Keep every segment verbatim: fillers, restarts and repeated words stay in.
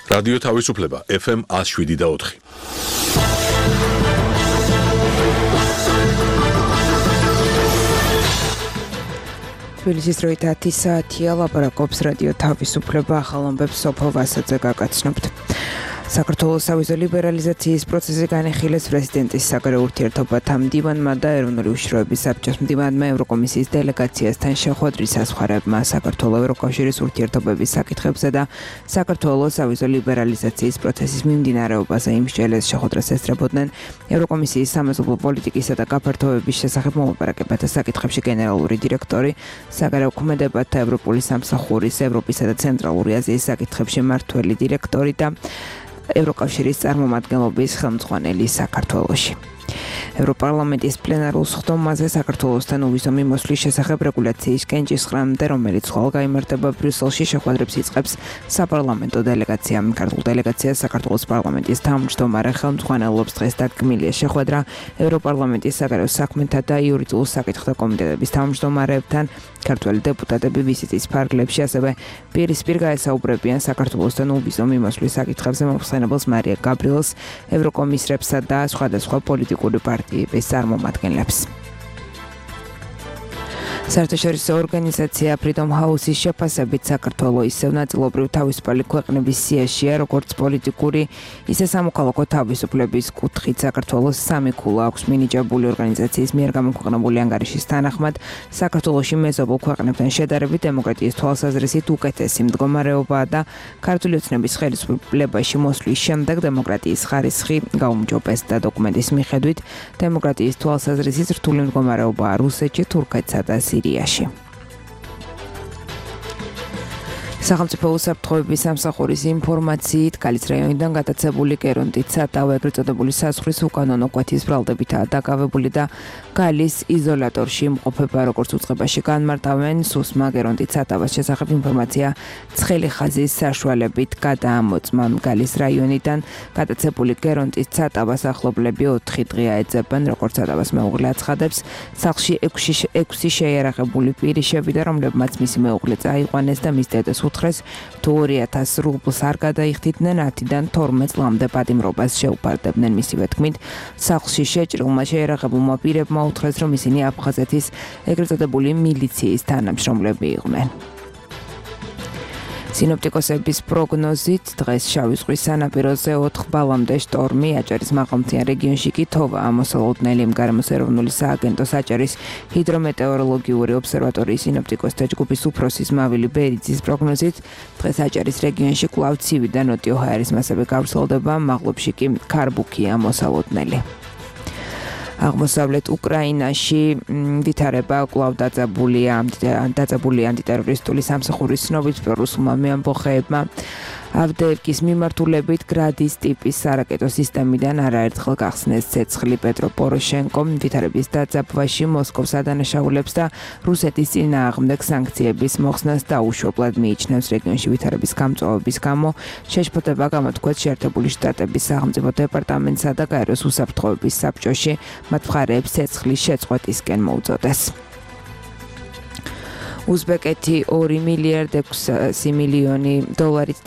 რადიო თავისუფლება ეფ ემ one oh seven და four. თბილისის დროით ათი საათია, ლაპარაკობს რადიო თავისუფლება, ახალ ამბებს სოფო ვასაძე გაგაცნობთ. საქართველოს სავიზო ლიბერალიზაციის პროცესი განიხილეს პრეზიდენტის საგარეო ურთიერთობათა მდივანმა და ეროვნული უშიშროების საბჭოს მდივანმა ევროკომისიის დელეგაციასთან შეხვედრის საზღვარებმა საქართველოს ევროკავშირის ურთიერთობების საკითხებზე და საქართველოს სავიზო ლიბერალიზაციის პროცესის მიმდინარეობაზე იმსჯელეს შეხვედრას ესწრებოდნენ ევროკომისიის სამეზობლო პოლიტიკისა და გაფართოების შესახებ მოლაპარაკებათა საკითხებში გენერალური დირექტორი, საგარეო ქმედებათა ევროპული სამსახურის ევროპისა და ცენტრალური აზიის საკითხებში მმართველი დირექტორი და ევროკავშირის წარმომადგენლობის ხელმძღვანელი საქართველოში. ევროპარლამენტის პლენარულ სხდომაზე საქართველოსთან უვიზო მიმოსვლის შესახებ რეგულაციის კენჭისყრამდე, რომელიც ხვალ გაიმართება ბრიუსელში, შეხვედრებს იწყებს საპარლამენტო დელეგაცია. ქართულ დელეგაციას საქართველოს პარლამენტის თავმჯდომარე ხელმძღვანელობს. დღეს დაგმილია შეხვედრა ევროპარლამენტის საგარეო საქმეთა და იურიდიულ საკითხთა კომიტეტების თავმჯდომარეებთან. ქართველი დეპუტატები ვიზიტის ფარგლებში ასევე პირისპირ გაესაუბრებიან საქართველოსთან უვიზო მიმოსვლის საკითხებზე მომხსენებელს მარია გაბრიელს, ევროკომისრებსა და სხვადასხვა პოლიტიკური პარტიების წარმომადგენლებს. საერთაშორისო ორგანიზაცია Freedom House-ის შეფასებით საქართველოს ისევ ნაწილობრივ თავისუფალი ქვეყნების სიაშია, როგორც პოლიტიკური, ისე სამოქალაქო თავისუფლების კუთხით. საქართველოს სამი ქულა აქვს მინიჭებული ორგანიზაციის მიერ გამოქვეყნებული ანგარიშის თანახმად. საქართველოში მეზობელ ქვეყნებთან შედარებით დემოკრატიის თვალსაზრისით უკეთესი მდგომარეობაა და ქართული ოცნების ხელისუფლებაში მოსვლის შემდეგ დემოკრატიის ხარისხი გაუმჯობესდა. დოკუმენტის მიხედვით დემოკრატიის თვალსაზრისით რთული მდგომარეობაა რუსეთში, თურქეთსა და სირიაში. სახელმწიფო უსაფრთხოების სამსახურის ინფორმაციით კალის რაიონიდან გადაცებული კერონტით სატავ ეგრეთ წოდებული საზღვრის უკანონო კვეთის ბრალდებითაა დაკავებული და გალის იზოლატორში იმყოფება, როგორც უწყებაში განმარტავენ. სუსმა კერონტით სატავას შესახებ ინფორმაცია ცხელი ხაზის საშუალებით გადაამოწმა. გალის რაიონიდან გადაცებული კერონტით სატავას ახლობლები ოთხი დღეა ეძებენ, როგორც სატავას მეუღლე აცხადებს. სახლში ექვსი შეიარაღებული პირი შევიდა, რომლებმაც მისი მეუღლე წაიყვანეს და მის დედას უთხრეს, თუ ორი ათას რუბლს არ გადაიხდიდნენ, ათიდან თორმეტ წლამდე პატიმრობას შეუფარდებდნენ. მისივე თქმით, სახლში შეჭრილმა შეიარაღებულმა პირებმა უთხრეს, რომ ისინი აფხაზეთის ეგრეთ წოდებული მილიციის თანამშრომლები იყვნენ. სინოპტიკოსების პროგნოზით დღეს შავი ზღვის სანაპიროზე ოთხ ბალამდე შტორმი, აჭარის მაღალმთიან რეგიონში კი თოვა ამოსალოდნელი. გარემოს ეროვნული სააგენტოს აჭარის ჰიდრომეტეოროლოგიური ობსერვატორიის სინოპტიკოსთა ჯგუფის უფროსის მავილი ბერიძის პროგნოზით დღეს აჭარის რეგიონში კვლავ ცივი და ნოტიო ჰაერის მასები გავრცელდება, მაღლობში კი ქარბუქია ამოსალოდნელი. აღმოსავლეთ უკრაინაში ვითარება კვლავ დაძაბულია დაძაბული ანტიტერორისტული სამსახურის ცნობით რუსულმა მეამბოხეებმა ავდეევკის მიმართულებით გრადის ტიპის სარაკეტო სისტემიდან არაერთხელ გახსნეს ცეცხლი. პეტრო პოროშენკო ვითარების დაძაბვაში მოსკოვს ადანაშაულებს და რუსეთის წინააღმდეგ სანქციების მოხსნას დაუშვებლად მიიჩნევს. რეგიონში ვითარების გამწვავების გამო შეშფოთება გამოთქვეს შეერთებული შტატების სახელმწიფო დეპარტამენტსა და გაეროს უსაფრთხოების საბჭოში. მათ მხარეებს ცეცხლის შეწყვეტისკენ მოუწოდეს. უზბეკეთი ორი მილიარდ ექვსი მილიონი დოლარით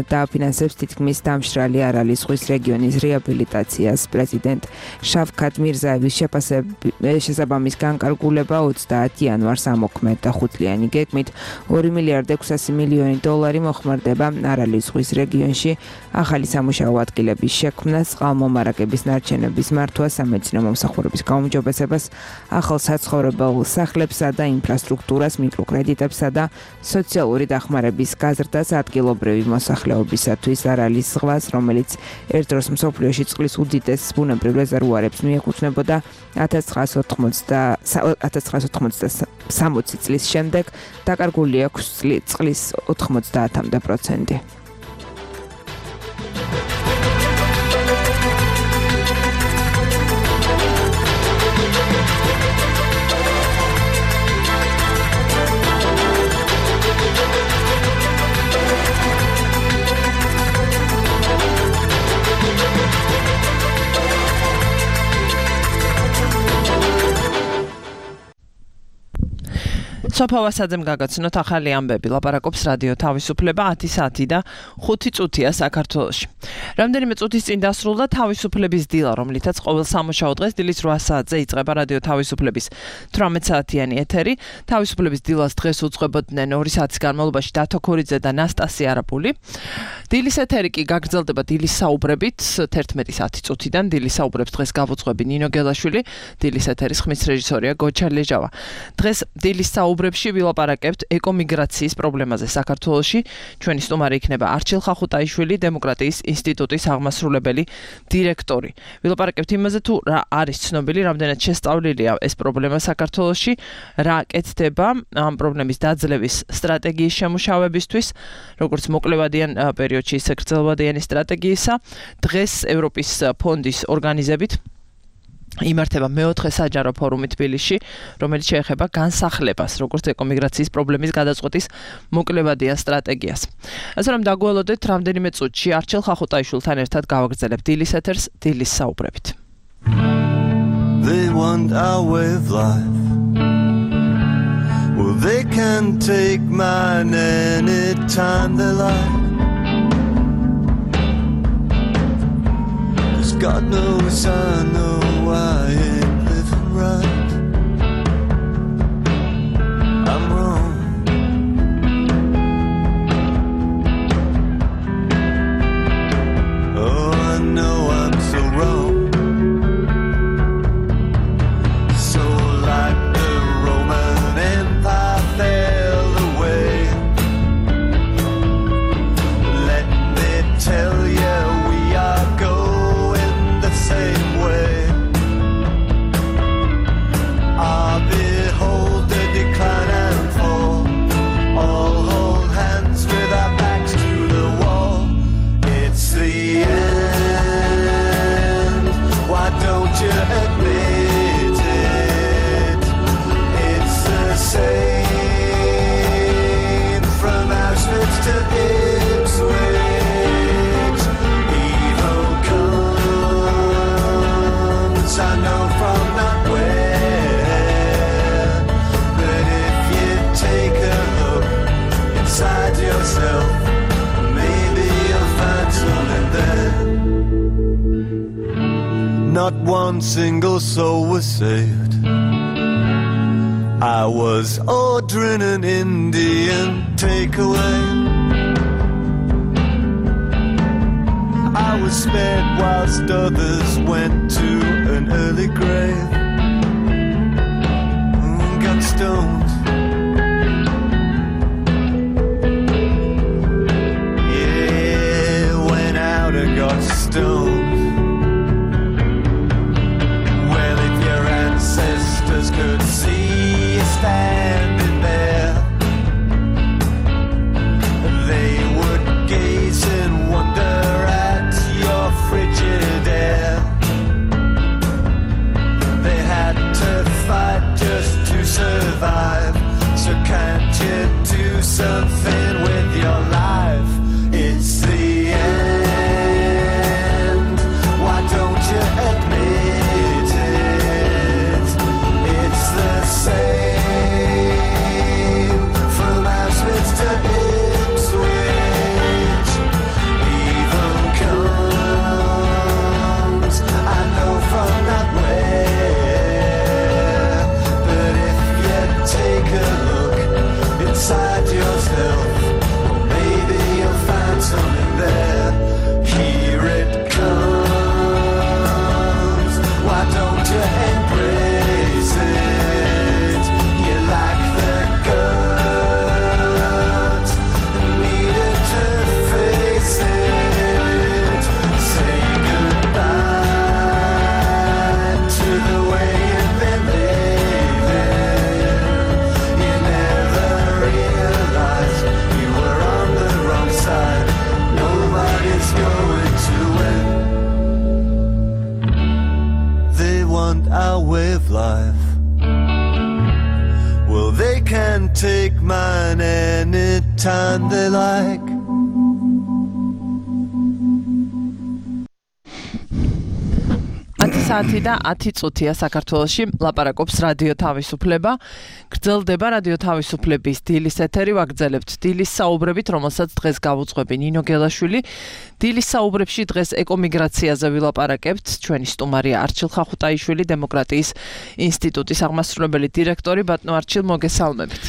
დააფინანსებს თითქმის დამშრალი არალის ზღვის რეგიონის რეაბილიტაციას. პრეზიდენტ შავქათ მირზაევის შესაბამის განკარგულება ოცდაათი იანვარს ამოქმედდა. ხუთწლიანი გეგმით ორი მილიარდ ექვსასი მილიონი დოლარი მოხმარდება არალის ზღვის რეგიონში ახალი სამუშაო ადგილების შექმნას, წყალმომარაგების ნარჩენების მართვას, სამედიცინო მომსახურების გაუმჯობესებას, ახალ საცხოვრებელ სახლებსა და ინფრასტრუქტურას, კრედიტებსა და სოციალური დახმარების გაზრდას ადგილობრივი მოსახლეობისათვის. არალის ზღვას, რომელიც ერთ დროს მსოფლიოში წყლის უდიდეს ბუნებრივ რეზერვუარებს მიეკუთვნებოდა, ათას ცხრაასი ოცდაათი წლის შემდეგ დაკარგული აქვს წყლის ოთხმოცდაათამდე პროცენტი. სოფო ვასაძემ გაგაცნოთ ახალი ამბები. ლაპარაკობს რადიო თავისუფლება ათი საათი და ხუთი წუთია საქართველოში. რამდენიმე წუთის წინ დასრულდა თავისუფლების დილა, რომლითაც ყოველ სამუშაო დღეს დილის რვა საათზე იწყება რადიო თავისუფლების თვრამეტ საათიანი ეთერი. თავისუფლების დილას დღეს უძღვებოდნენ ორი საათის განმავლობაში დათო ქორიძე და ნასტასია არაპული. დილის ეთერი კი გაგრძელდება დილის საუბრებით თერთმეტი საათი წუთიდან. დილის საუბრებს დღეს გავუძღვები ნინო გელაშვილი, დილის ეთერის ხმის რეჟისორია გოჩა ლეჟავა. დღეს დილის საუბრებში ვილაპარაკებთ ეკომიგრაციის პრობლემაზე საქართველოში. ჩვენი სტუმარი იქნება არჩილ ხახუტაიშვილი, დემოკრატიის ინსტიტუტის აღმასრულებელი დირექტორი. ვილაპარაკებთ იმაზე, თუ რა არის ცნობილი, რამდენად შესწავლილია ეს პრობლემა საქართველოში, რა კეთდება ამ პრობლემის დაძლევის სტრატეგიის შემუშავებისთვის, როგორც მოკლევადიან პერიოდში, ისე გრძელვადიანი სტრატეგიისა. დღეს ევროპის ფონდის ორგანიზებით იმართება მეოთხე საჯარო ფორუმი თბილისში, რომელიც შეეხება განსახლებას, როგორც ეკომიგრაციის პრობლემის გადაწყვეტის მოკლევადიან სტრატეგიას. ასე რომ დაგველოდეთ რამდენიმე წუთში არჩილ ხახუტაიშვილთან ერთად გავაგრძელებთ დილის ეთერს დილის საუბრებით. They want our way of life. Well, they can take mine anytime they like. 'Cause God knows I know I ain't living right. I'm wrong. Oh, I know I'm so wrong. So like the Roman Empire fell away, let me tell you we are going the same way. I behold the decline and fall. All hold hands with our backs to the wall. It's the end. Why don't you admit it? It's the same from Auschwitz to Ipswich. Evil comes, I know from not where. But if you take a look inside yourself, maybe you'll find something there. Not one single soul was saved. I was ordering an Indian takeaway. I was spared whilst others went to an early grave. Mm, got stoned. Yeah, went out and got stoned. Well, if your ancestors could see you standing there, they would gaze in wonder at your frigid air. They had to fight just to survive. So can't you do something with your life? It's the end. Why don't you admit it? It's the same from Auschwitz to Ipswich. Evil comes, I know from not where. But if you take a look inside yourself, maybe you'll find something there. Here it comes. Why don't you embrace it? You lack the guts, needed to face it. Say goodbye to the way you've been living. You never realized you were on the wrong side. Nobody's going to win. They want our way of life. Well, they can take mine anytime they like. საათი და ათი წუთია საქართველოში ლაპარაკობს რადიო თავისუფლება. გრძელდება რადიო თავისუფლების დილის ეთერი, ვაგრძელებთ დილის საუბრებით, რომელსაც დღეს გავუძღვები ნინო გელაშვილი. დილის საუბრებში დღეს ეკომიგრაციაზე ვილაპარაკებთ. ჩვენი სტუმარია არჩილ ხახუტაიშვილი, დემოკრატიის ინსტიტუტის აღმასრულებელი დირექტორი. ბატონო არჩილ, მოგესალმებით.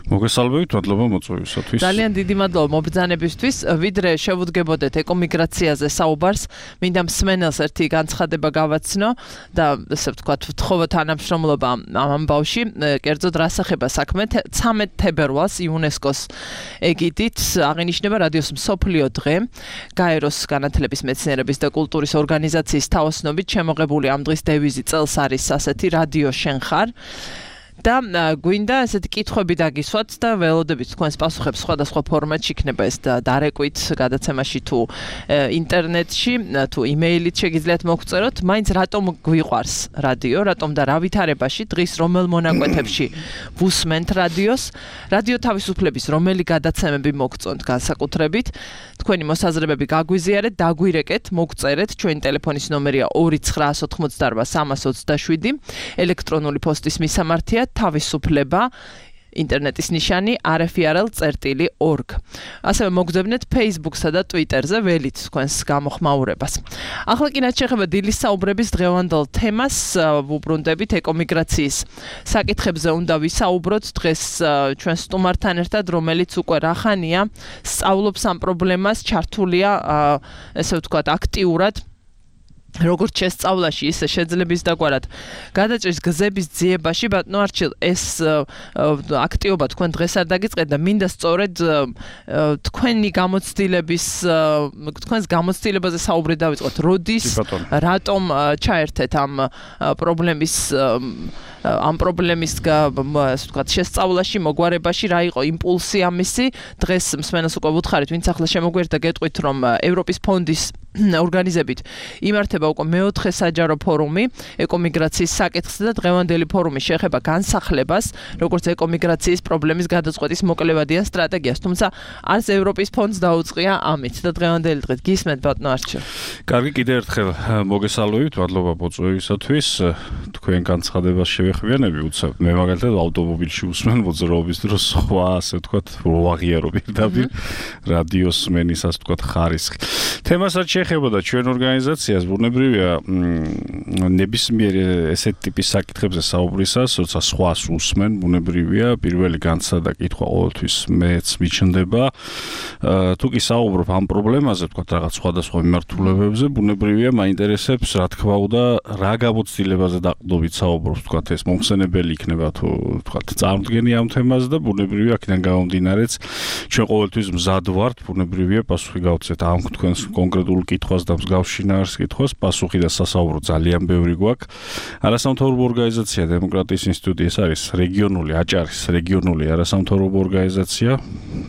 მოგესალმებით, მადლობა მოწვევისათვის. ძალიან დიდი მადლობა მობრძანებისთვის. ვიდრე შევუდგებოდეთ ეკომიგრაციაზე საუბარს, მინდა მსმენელს ერთი განცხადება გავაცნო და ესე ვთქვათ, ვთხოვო თანამშრომლობა ამ ამბავში. კერძოდ რას ეხება საქმე, ცამეტ თებერვალს იუნესკოს ეგიდით აღინიშნება რადიოს მსოფლიო დღე. გაეროს განათლების, მეცნიერების და კულტურის ორგანიზაციის თაოსნობით შემოღებული ამ დღის დევიზი წელს არის ასეთი რადიო შენ ხარ. და გვინდა ესეთი კითხვები დაგისვათ და ველოდებით თქვენს პასუხებს სხვადასხვა ფორმატში, იქნება ეს დარეკვით გადაცემაში თუ ინტერნეტში, თუ იმეილით შეგიძლიათ მოგწეროთ, მაინც რატომ გვიყვარს რადიო, რატომ და რა ვითარებაში, დღის რომელ მონაკვეთებში ვუსმენთ რადიოს, რადიო თავისუფლების რომელი გადაცემები მოგწონთ განსაკუთრებით, თქვენი მოსაზრებები გაგვიზიარეთ, დაგვირეკეთ, მოგწერეთ, ჩვენი ტელეფონის ნომერია ორი ცხრაასი ოთხმოცდაარბა სამას ოცდაშვიდი, ელექტრონული პოსტის მისამართია თავისუფლება, ინტერნეტის ნიშანი არ ეფ ი არ ელ წერტილი ორგ. ასევე მოგძებნეთ Facebook-სა და Twitter-ზე ველით თქვენს გამოხმაურებას. ახლა კი რაც შეეხება დილის საუბრების დღევანდელ თემას, ვუბრუნდებით ეკომიგრაციის საკითხებზე უნდა ვისაუბროთ დღეს ჩვენ სტუმართან ერთად, რომელიც უკვე რახანია სწავლობს ამ პრობლემას, ჩართულია ესე ვთქვათ აქტიურად როგორც შესწავლაში, ისე შეძლების დაგვარად გადაჭრის გზების ძიებაში. ბატონო არჩილ, ეს აქტივობა თქვენ დღეს არ დაგიწყეთ და მინდა სწორედ თქვენი გამოცდილების, თქვენს გამოცდილებაზე საუბრი დავიწყოთ. როდის, რატომ ჩაერთეთ ამ პრობლემის ამ პრობლემის ასე ვთქვათ შესწავლაში, მოგვარებაში, რა იყო იმპულსი ამისი? დღეს მსმენელს უკვე ვუთხარით, ვინც ახლა შემოგვერთა გეტყვით, რომ ევროპის ფონდის ორგანიზებით იმართება უკვე მეოთხე საჯარო ფორუმი ეკომიგრაციის საკითხზე და დღევანდელი ფორუმი შეეხება განსახლებას, როგორც ეკომიგრაციის პრობლემის გადაწყვეტის მოკლევადიან სტრატეგიას. თუმცა არც ევროპის ფონდს დაუწყია ამით და დღევანდელი დღით გისმენთ ბატონო არჩილ. კარგი, კიდევ ერთხელ მოგესალმებით, მადლობა მოწვევისათვის. თქვენ განცხადებას შევეხმიანები, უცებ მე მაგალითად ავტომობილში უსმენ მოძრაობის დროს სხვა ასე ვთქვათ, ვაღიარო პირდაპირ რადიოს სმენის ასე ვთქვათ ხარისხი. თემასაც ეხებოდა ჩვენ ორგანიზაციას, ბუნებრივია ნებისმიერ ესეთ ტიპის საკითხებზე საუბრისას, როცა სხვას უსმენ, ბუნებრივია პირველი განცდა და კითხვა ყოველთვის მეც მიჩნდება. თუ კი საუბრობ ამ პრობლემაზე, ვთქვათ რაღაც სხვადასხვა მიმართულებებზე, ბუნებრივია მაინტერესებს, რა თქმა უნდა, რა გამოცდილებაზე დაყრდნობით საუბრობ, ვთქვათ ეს მომხსენებელი იქნება თუ ვთქვათ წარმოდგენი ამ თემაზე და ბუნებრივია აქედან გამომდინარეც ჩვენ ყოველთვის მზად ვართ, ბუნებრივია პასუხი გავცეთ ამ თქვენს კონკრეტულ კითხვას და მსგავს შინაარს კითხვას, პასუხი და სასაუბრო ძალიან ბევრი გვაქვს. არასამთავრობო ორგანიზაცია დემოკრატიის ინსტიტუტი, ეს არის რეგიონული აჭარის რეგიონული არასამთავრობო ორგანიზაცია.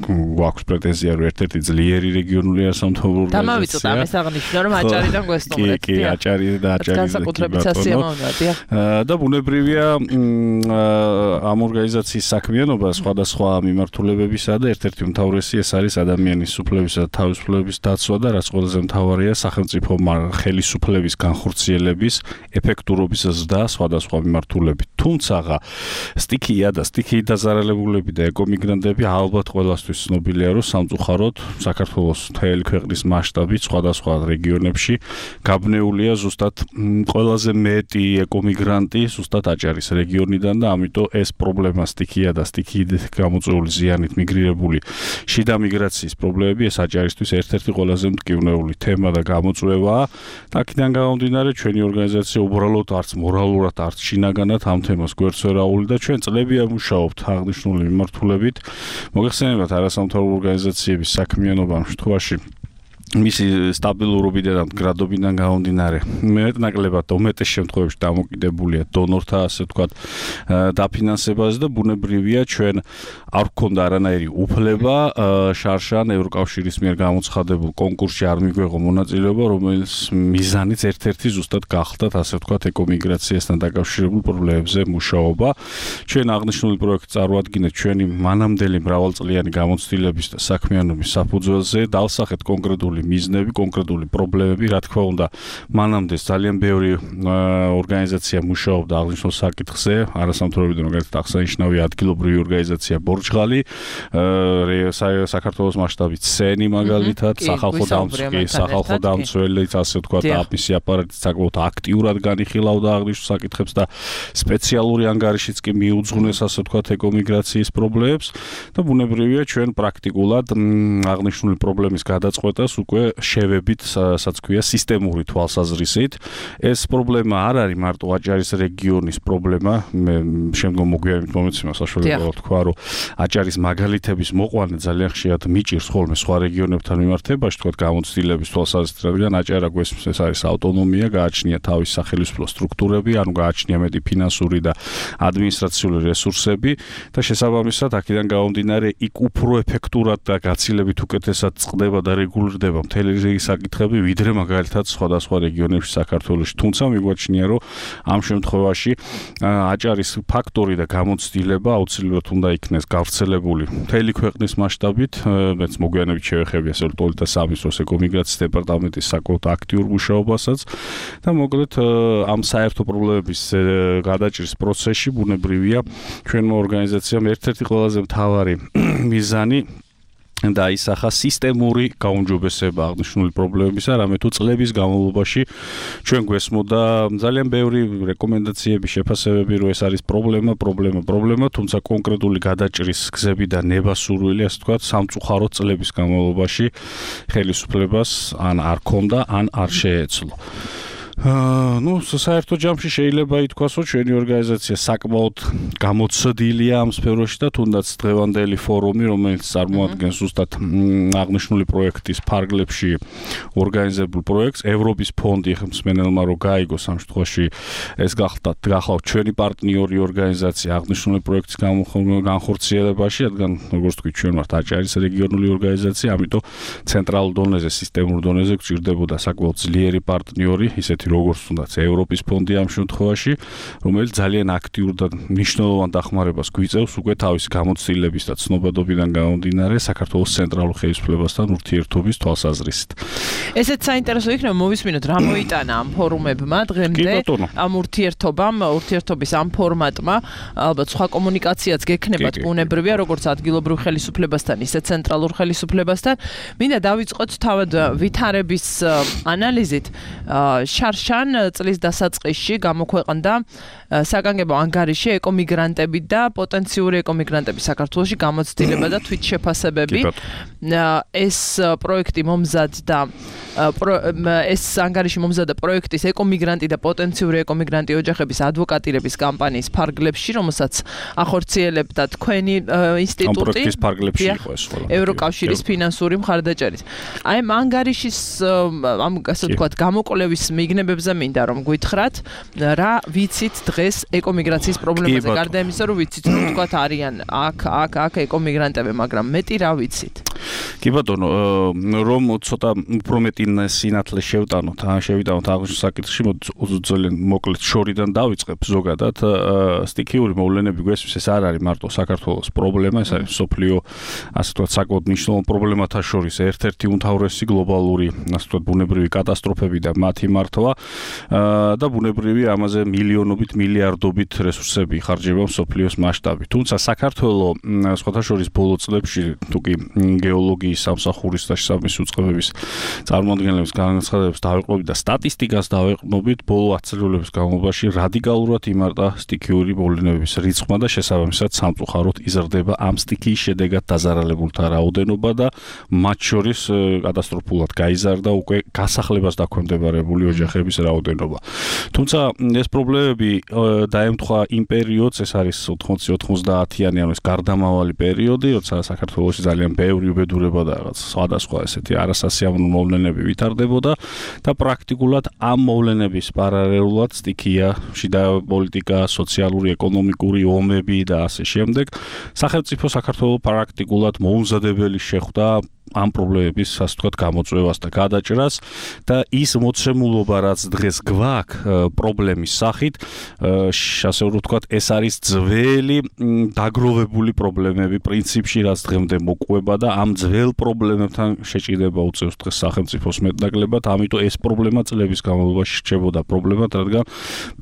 გვაქვს პრეტენზია, რომ ერთ-ერთი ძლიერი რეგიონული არასამთავრობო ორგანიზაცია. დამავიწყოთ ამას აღნიშნო, რომ აჭარიდან გვესტუმრეთ. კი, კი, აჭარი და აჭარის განსაკუთრებით სასიამოვნოა, დიახ. და ბუნებრივია ამ ორგანიზაციის საქმიანობა სხვადასხვა მიმართულებებისა და ერთ-ერთი უმთავრესი ეს არის ადამიანის უფლებისა და თავისუფლების დაცვა და რაც ყველაზე მთავარია სახელმწიფო ხელისუფლების განხორციელების ეფექტურობის ზრდა სხვადასხვა მიმართულებით. თუმცა სტიქია და სტიქიით დაზარალებულები და ეკომიგრანტები ალბათ ყველასთვის ცნობილია, რომ სამწუხაროდ საქართველოს მთელი ქვეყნის მასშტაბით სხვადასხვა რეგიონებში გაბნეულია ზუსტად ყველაზე მეტი ეკომიგრანტი ზუსტად აჭარის რეგიონიდან და ამიტომ ეს პრობლემა სტიქია და სტიქიით გამოწვეული ზიანით მიგრირებული შიდა მიგრაციის პრობლემები ეს აჭარისთვის ერთ-ერთი ყველაზე მტკივნეული თემა და გამოწვევაა. და აქედან გამომდინარე ჩვენი ორგანიზაცია უბრალოდ არც მორალურად, არც შინაგანად ამ თემას გვერდს ვერ აუვლის და ჩვენ წლებია მუშაობთ აღნიშნული მიმართულებით. მოგეხსენებათ არასამთავრობო ორგანიზაციების საქმიანობა ამ შემთხვევაში მისი სტაბილურობიდან და მდგრადობიდან გამომდინარე მეტნაკლებად და უმეტეს შემთხვევებში დამოკიდებულია დონორთა ასე ვთქვათ დაფინანსებაზე და ბუნებრივია ჩვენ არ გვქონდა არანაირი უფლება შარშან ევროკავშირის მიერ გამოცხადებულ კონკურსში არ მიგვეღო მონაწილეობა, რომელიც მიზანიც ერთ-ერთი ზუსტად გახდათ ასე ვთქვათ ეკომიგრაციასთან დაკავშირებულ პრობლემებზე მუშაობა. ჩვენ აღნიშნული პროექტი წარმოადგენთ ჩვენი მანამდელი მრავალწლიანი გამოცდილების და საქმიანობის საფუძველზე, დავსახეთ კონკრეტული კონკრეტული მიზნები, კონკრეტული პრობლემები, რა თქმა უნდა, მანამდე ძალიან ბევრი ორგანიზაცია მუშაობდა აღნიშნულ საკითხზე, არასამთავრობო მაგალითად აღსანიშნავი ადგილობრივი ორგანიზაცია ბორჯღალი, საქართველოს მასშტაბით სენი მაგალითად, სახალხო დამცველი, სახალხო დამცველიც, ასე ვთქვათ, აპისი აპარატი საკმაოდ აქტიურად განიხილავდა აღნიშნულ საკითხებს და სპეციალური ანგარიშიც კი მიუძღვნეს, ასე ვთქვათ, ეკომიგრაციის პრობლემებს და ბუნებრივია ჩვენ პრაქტიკულად აღნიშნული პრობლემის გადაწყვეტას უკვე შევებით, სადაც ქვია სისტემური თვალსაზრისით. ეს პრობლემა არ არის მარტო აჭარის რეგიონის პრობლემა, მე შემდგომ მოგვიანებით მომეცემა საშუალება თქვა, რომ აჭარის მაგალითების მოყვანა ძალიან ხშირად მიჭირს ხოლმე სხვა რეგიონებთან მიმართებაში, თქვა გამოცდილების თვალსაზრისით, რადგან აჭარა გვესმის ეს არის ავტონომია, გააჩნია თავის სახელმწიფო სტრუქტურები, ანუ გააჩნია მეტი ფინანსური და ადმინისტრაციული რესურსები და შესაბამისად აქედან გამომდინარე იქ უფრო ეფექტურად და გაცილებით უკეთესად წყდება და რეგულირდება მთელი რიგი საკითხები, ვიდრე მაგალითად სხვადასხვა რეგიონებში საქართველოში. თუმცა მიგვაჩნია, რომ ამ შემთხვევაში აჭარის ფაქტორი და გამოცდილება აუცილებლად უნდა იქნეს გავრცელებული მთელი ქვეყნის მასშტაბით, მეც მოგვიანებით შევეხები ასე რომ და სამინისტროს ეკომიგრაციის დეპარტამენტის საკმაოდ აქტიურ მუშაობასაც და მოკლედ ამ საერთო პრობლემების გადაჭრის პროცესში ბუნებრივია ჩვენმა ორგანიზაციამ ერთ-ერთი ყველაზე მთავარი მიზანი დაისახა სისტემური გაუმჯობესება აღნიშნული პრობლემებისა, რამე თუ წლების განმავლობაში ჩვენ გვესმოდა ძალიან ბევრი რეკომენდაციები, შეფასებები, რომ ეს არის პრობლემა, პრობლემა, პრობლემა, თუმცა კონკრეტული გადაჭრის გზები და ნება-სურვილი, ასე ვთქვათ, სამწუხაროდ წლების განმავლობაში ხელისუფლებას ან არ ქონდა, ან არ შეეძლო. აა ნუ საერთო ჯამში შეიძლება ითქვას, რომ ჩვენი ორგანიზაცია საკმაოდ გამოცდილია ამ სფეროში და თუნდაც დღევანდელი ფორუმი, რომელიც წარმოადგენს ზუსტად აღნიშნული პროექტის ფარგლებში ორგანიზებულ პროექტს, ევროპის ფონდი ხმსმენელმა რო გაიგოს ამ შემთხვევაში ეს გახლავთ გახლავთ ჩვენი პარტნიორი ორგანიზაცია აღნიშნული პროექტის განხორციელებაში, რადგან როგორც თქვი ჩვენ ვართ აჭარის რეგიონული ორგანიზაცია, ამიტომ ცენტრალურ დონეზე, სისტემურ დონეზე გვჭირდებოდა საკმაოდ ძლიერი პარტნიორი, ისეთი როგორც თუნდაც ევროპის ფონდი ამ შემთხვევაში, რომელიც ძალიან აქტიურ და მნიშვნელოვან დახმარებას გვიწევს უკვე თავის გამოცდილების და ცნობადობიდან გამომდინარე საქართველოს ცენტრალურ ხელისუფლებასთან ურთიერთობის თვალსაზრისით. ესეც საინტერესო იქნება მოვისმინოთ რა მოიტანა ამ ფორუმებმა დღემდე, ამ ურთიერთობამ, ურთიერთობის ამ ფორმატმა, ალბათ სხვა კომუნიკაციაც გექნებათ ბუნებრივია, როგორც ადგილობრივ ხელისუფლებასთან, ისე ცენტრალურ ხელისუფლებასთან. მინდა დავიწყოთ თავად ვითარების ანალიზით. შარშან წლის დასაწყისში გამოქვეყნდა საგანგებო ანგარიში ეკომიგრანტები და პოტენციური ეკომიგრანტები საქართველოში გამოცდილება და თვითშეფასებები. ეს პროექტი მომზადდა ეს ანგარიში მომზადდა პროექტის ეკომიგრანტი და პოტენციური ეკომიგრანტი ოჯახების ადვოკატირების კამპანიის ფარგლებში, რომელსაც ახორციელებდა თქვენი ინსტიტუტი. ამ პროექტის ფარგლებში იყო ეს ყველა. ევროკავშირის ფინანსური მხარდაჭერით. აი ამ ანგარიშის ამ ასე ვთქვათ გამოკვლევის მიგნებებზე მინდა რომ გითხრათ, რა ვიცით დღეს ეკომიგრაციის პრობლემაზე, გარდა იმისა, რომ ვიცით რომ ვთქვათ არიან აქ, აქ, აქ ეკომიგრანტები, მაგრამ მეტი რა ვიცით? კი ბატონო, რომ ცოტა უფრო მეტი სინათლე შევტანოთ, ან შევიტანოთ აღნიშნულ საკითხში, ძალიან მოკლედ შორიდან დავიწყებ ზოგადად. სტიქიური მოვლენები გვესმის, ეს არ არის მარტო საქართველოს პრობლემა, ეს არის მსოფლიო, ასე ვთქვათ, საკმაოდ მნიშვნელოვან პრობლემათა შორის ერთ-ერთი უმთავრესი გლობალური, ასე ვთქვათ, ბუნებრივი კატასტროფები და მათი მართვა და ბუნებრივი ამაზე მილიონობით, მილიარდობით რესურსები იხარჯება მსოფლიოს მასშტაბით. თუმცა საქართველოს სხვათა შორის ბოლო წლებში თუკი გეოლოგიის სამსახურის და შესაბამისი უწყებების წარმოადგენლების განაცხადებს დავეყრდნობით და სტატისტიკას დავეყრდნობით, ბოლო ათი წლების განმავლობაში რადიკალურად იმარტა სტიქიური მოვლენების რიცხვმა და შესაბამისად სამწუხაროდ იზრდება ამ სტიქიის შედეგად დაზარალებულთა რაოდენობა და მათ შორის კატასტროფულად გაიზარდა უკვე გასახლებას დაქვემდებარებული ოჯახების რაოდენობა. თუმცა ეს პრობლემები დაემთხვა იმ პერიოდს, ეს არის ოთხმოცი-ოცდაათიანი, ანუ ეს გარდამავალი პერიოდი, როცა საქართველოში ძალიან ბევრი უბედურება და რაღაც სხვადასხვა ესეთი არასასიამოვნო მოვლენები ვითარდებოდა და პრაქტიკულად ამ მოვლენების პარალელურად სტიქია, შიდა პოლიტიკა, სოციალური, ეკონომიკური ომები და ასე შემდეგ. სახელმწიფო საქართველოს პრაქტიკულად მოუმზადებელი შეხვდა ამ პრობლემების ასე ვთქვათ გამოწვევას და გადაჭრას და ის მოცემულობა რაც დღეს გვაქვს პრობლემის სახით ასე ვთქვათ ეს არის ძველი დაგროვებული პრობლემები პრინციპში რაც დღემდე მოყვება და ამ ძველ პრობლემებთან შეჭიდება უწევს დღეს სახელმწიფოს მეტნაკლებად ამიტომ ეს პრობლემა წლების განმავლობაში რჩებოდა პრობლემად რადგან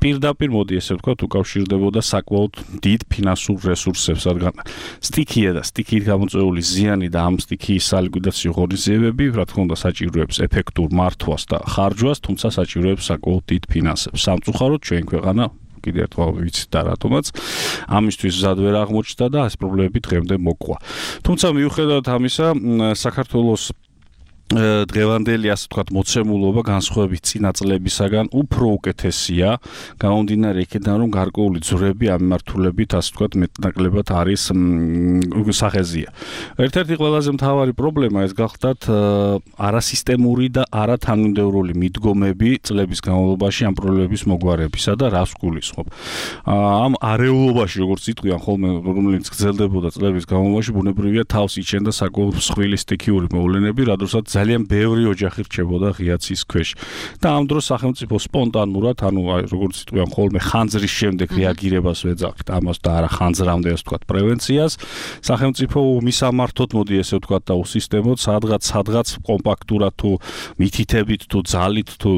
პირდაპირ მოდი ესე ვთქვათ უკავშირდებოდა საკმაოდ დიდ ფინანსურ რესურსებს რადგან სტიქია და სტიქით გამოწვეული ზიანი და ამ სტიქიის სალიკვიდაციო ღონისძიებები რა თქმა უნდა საჭიროებს ეფექტურ მართვას და ხარჯვას თუმცა საჭიროებს საკმაოდ დიდ ფინანსებს სამწუხაროდ ჩვენ ქვეყანა კიდევ ერთხელ ვიცით და რატომაც ამისთვის მზად ვერ აღმოჩნდა და ეს პრობლემები დღემდე მოყვა თუმცა მიუხედავად ამისა საქართველოს დღევანდელი ასე ვთქვათ მოცემულობა განსხვავებით წინა წლებისაგან უფრო უკეთესია გამომდინარე იქიდან რომ გარკვეული ძვრები ამ მიმართულებით ასე ვთქვათ მეტნაკლებად არის სახეზია ერთ-ერთი ყველაზე მთავარი პრობლემა ეს გახლდათ არასისტემური და არათანმიმდევრული მიდგომები წლების განმავლობაში ამ პრობლემების მოგვარებისა და რას გულისხმობ ამ არეულობაში როგორც იტყვიან ხოლმე რომელიც გრძელდებოდა წლების განმავლობაში ბუნებრივია თავს იჩენდა საკმაოდ მსხვილი სტიქიური მოვლენები რადგან ძალიან ბევრი ოჯახი რჩებოდა ღიაცის ქვეშ და ამ დროს სახელმწიფო სპონტანურად ანუ როგორც იტყვიან ხოლმე ხანძრის შემდეგ რეაგირებას ვეძახით ამას და არა ხანძრამდე ასე ვთქვათ პრევენციას სახელმწიფო მისამართოთ მოდი ესე ვთქვათ და უსისტემოდ სადღაც სადღაც კომპაქტურად თუ მითითებით თუ ძალით თუ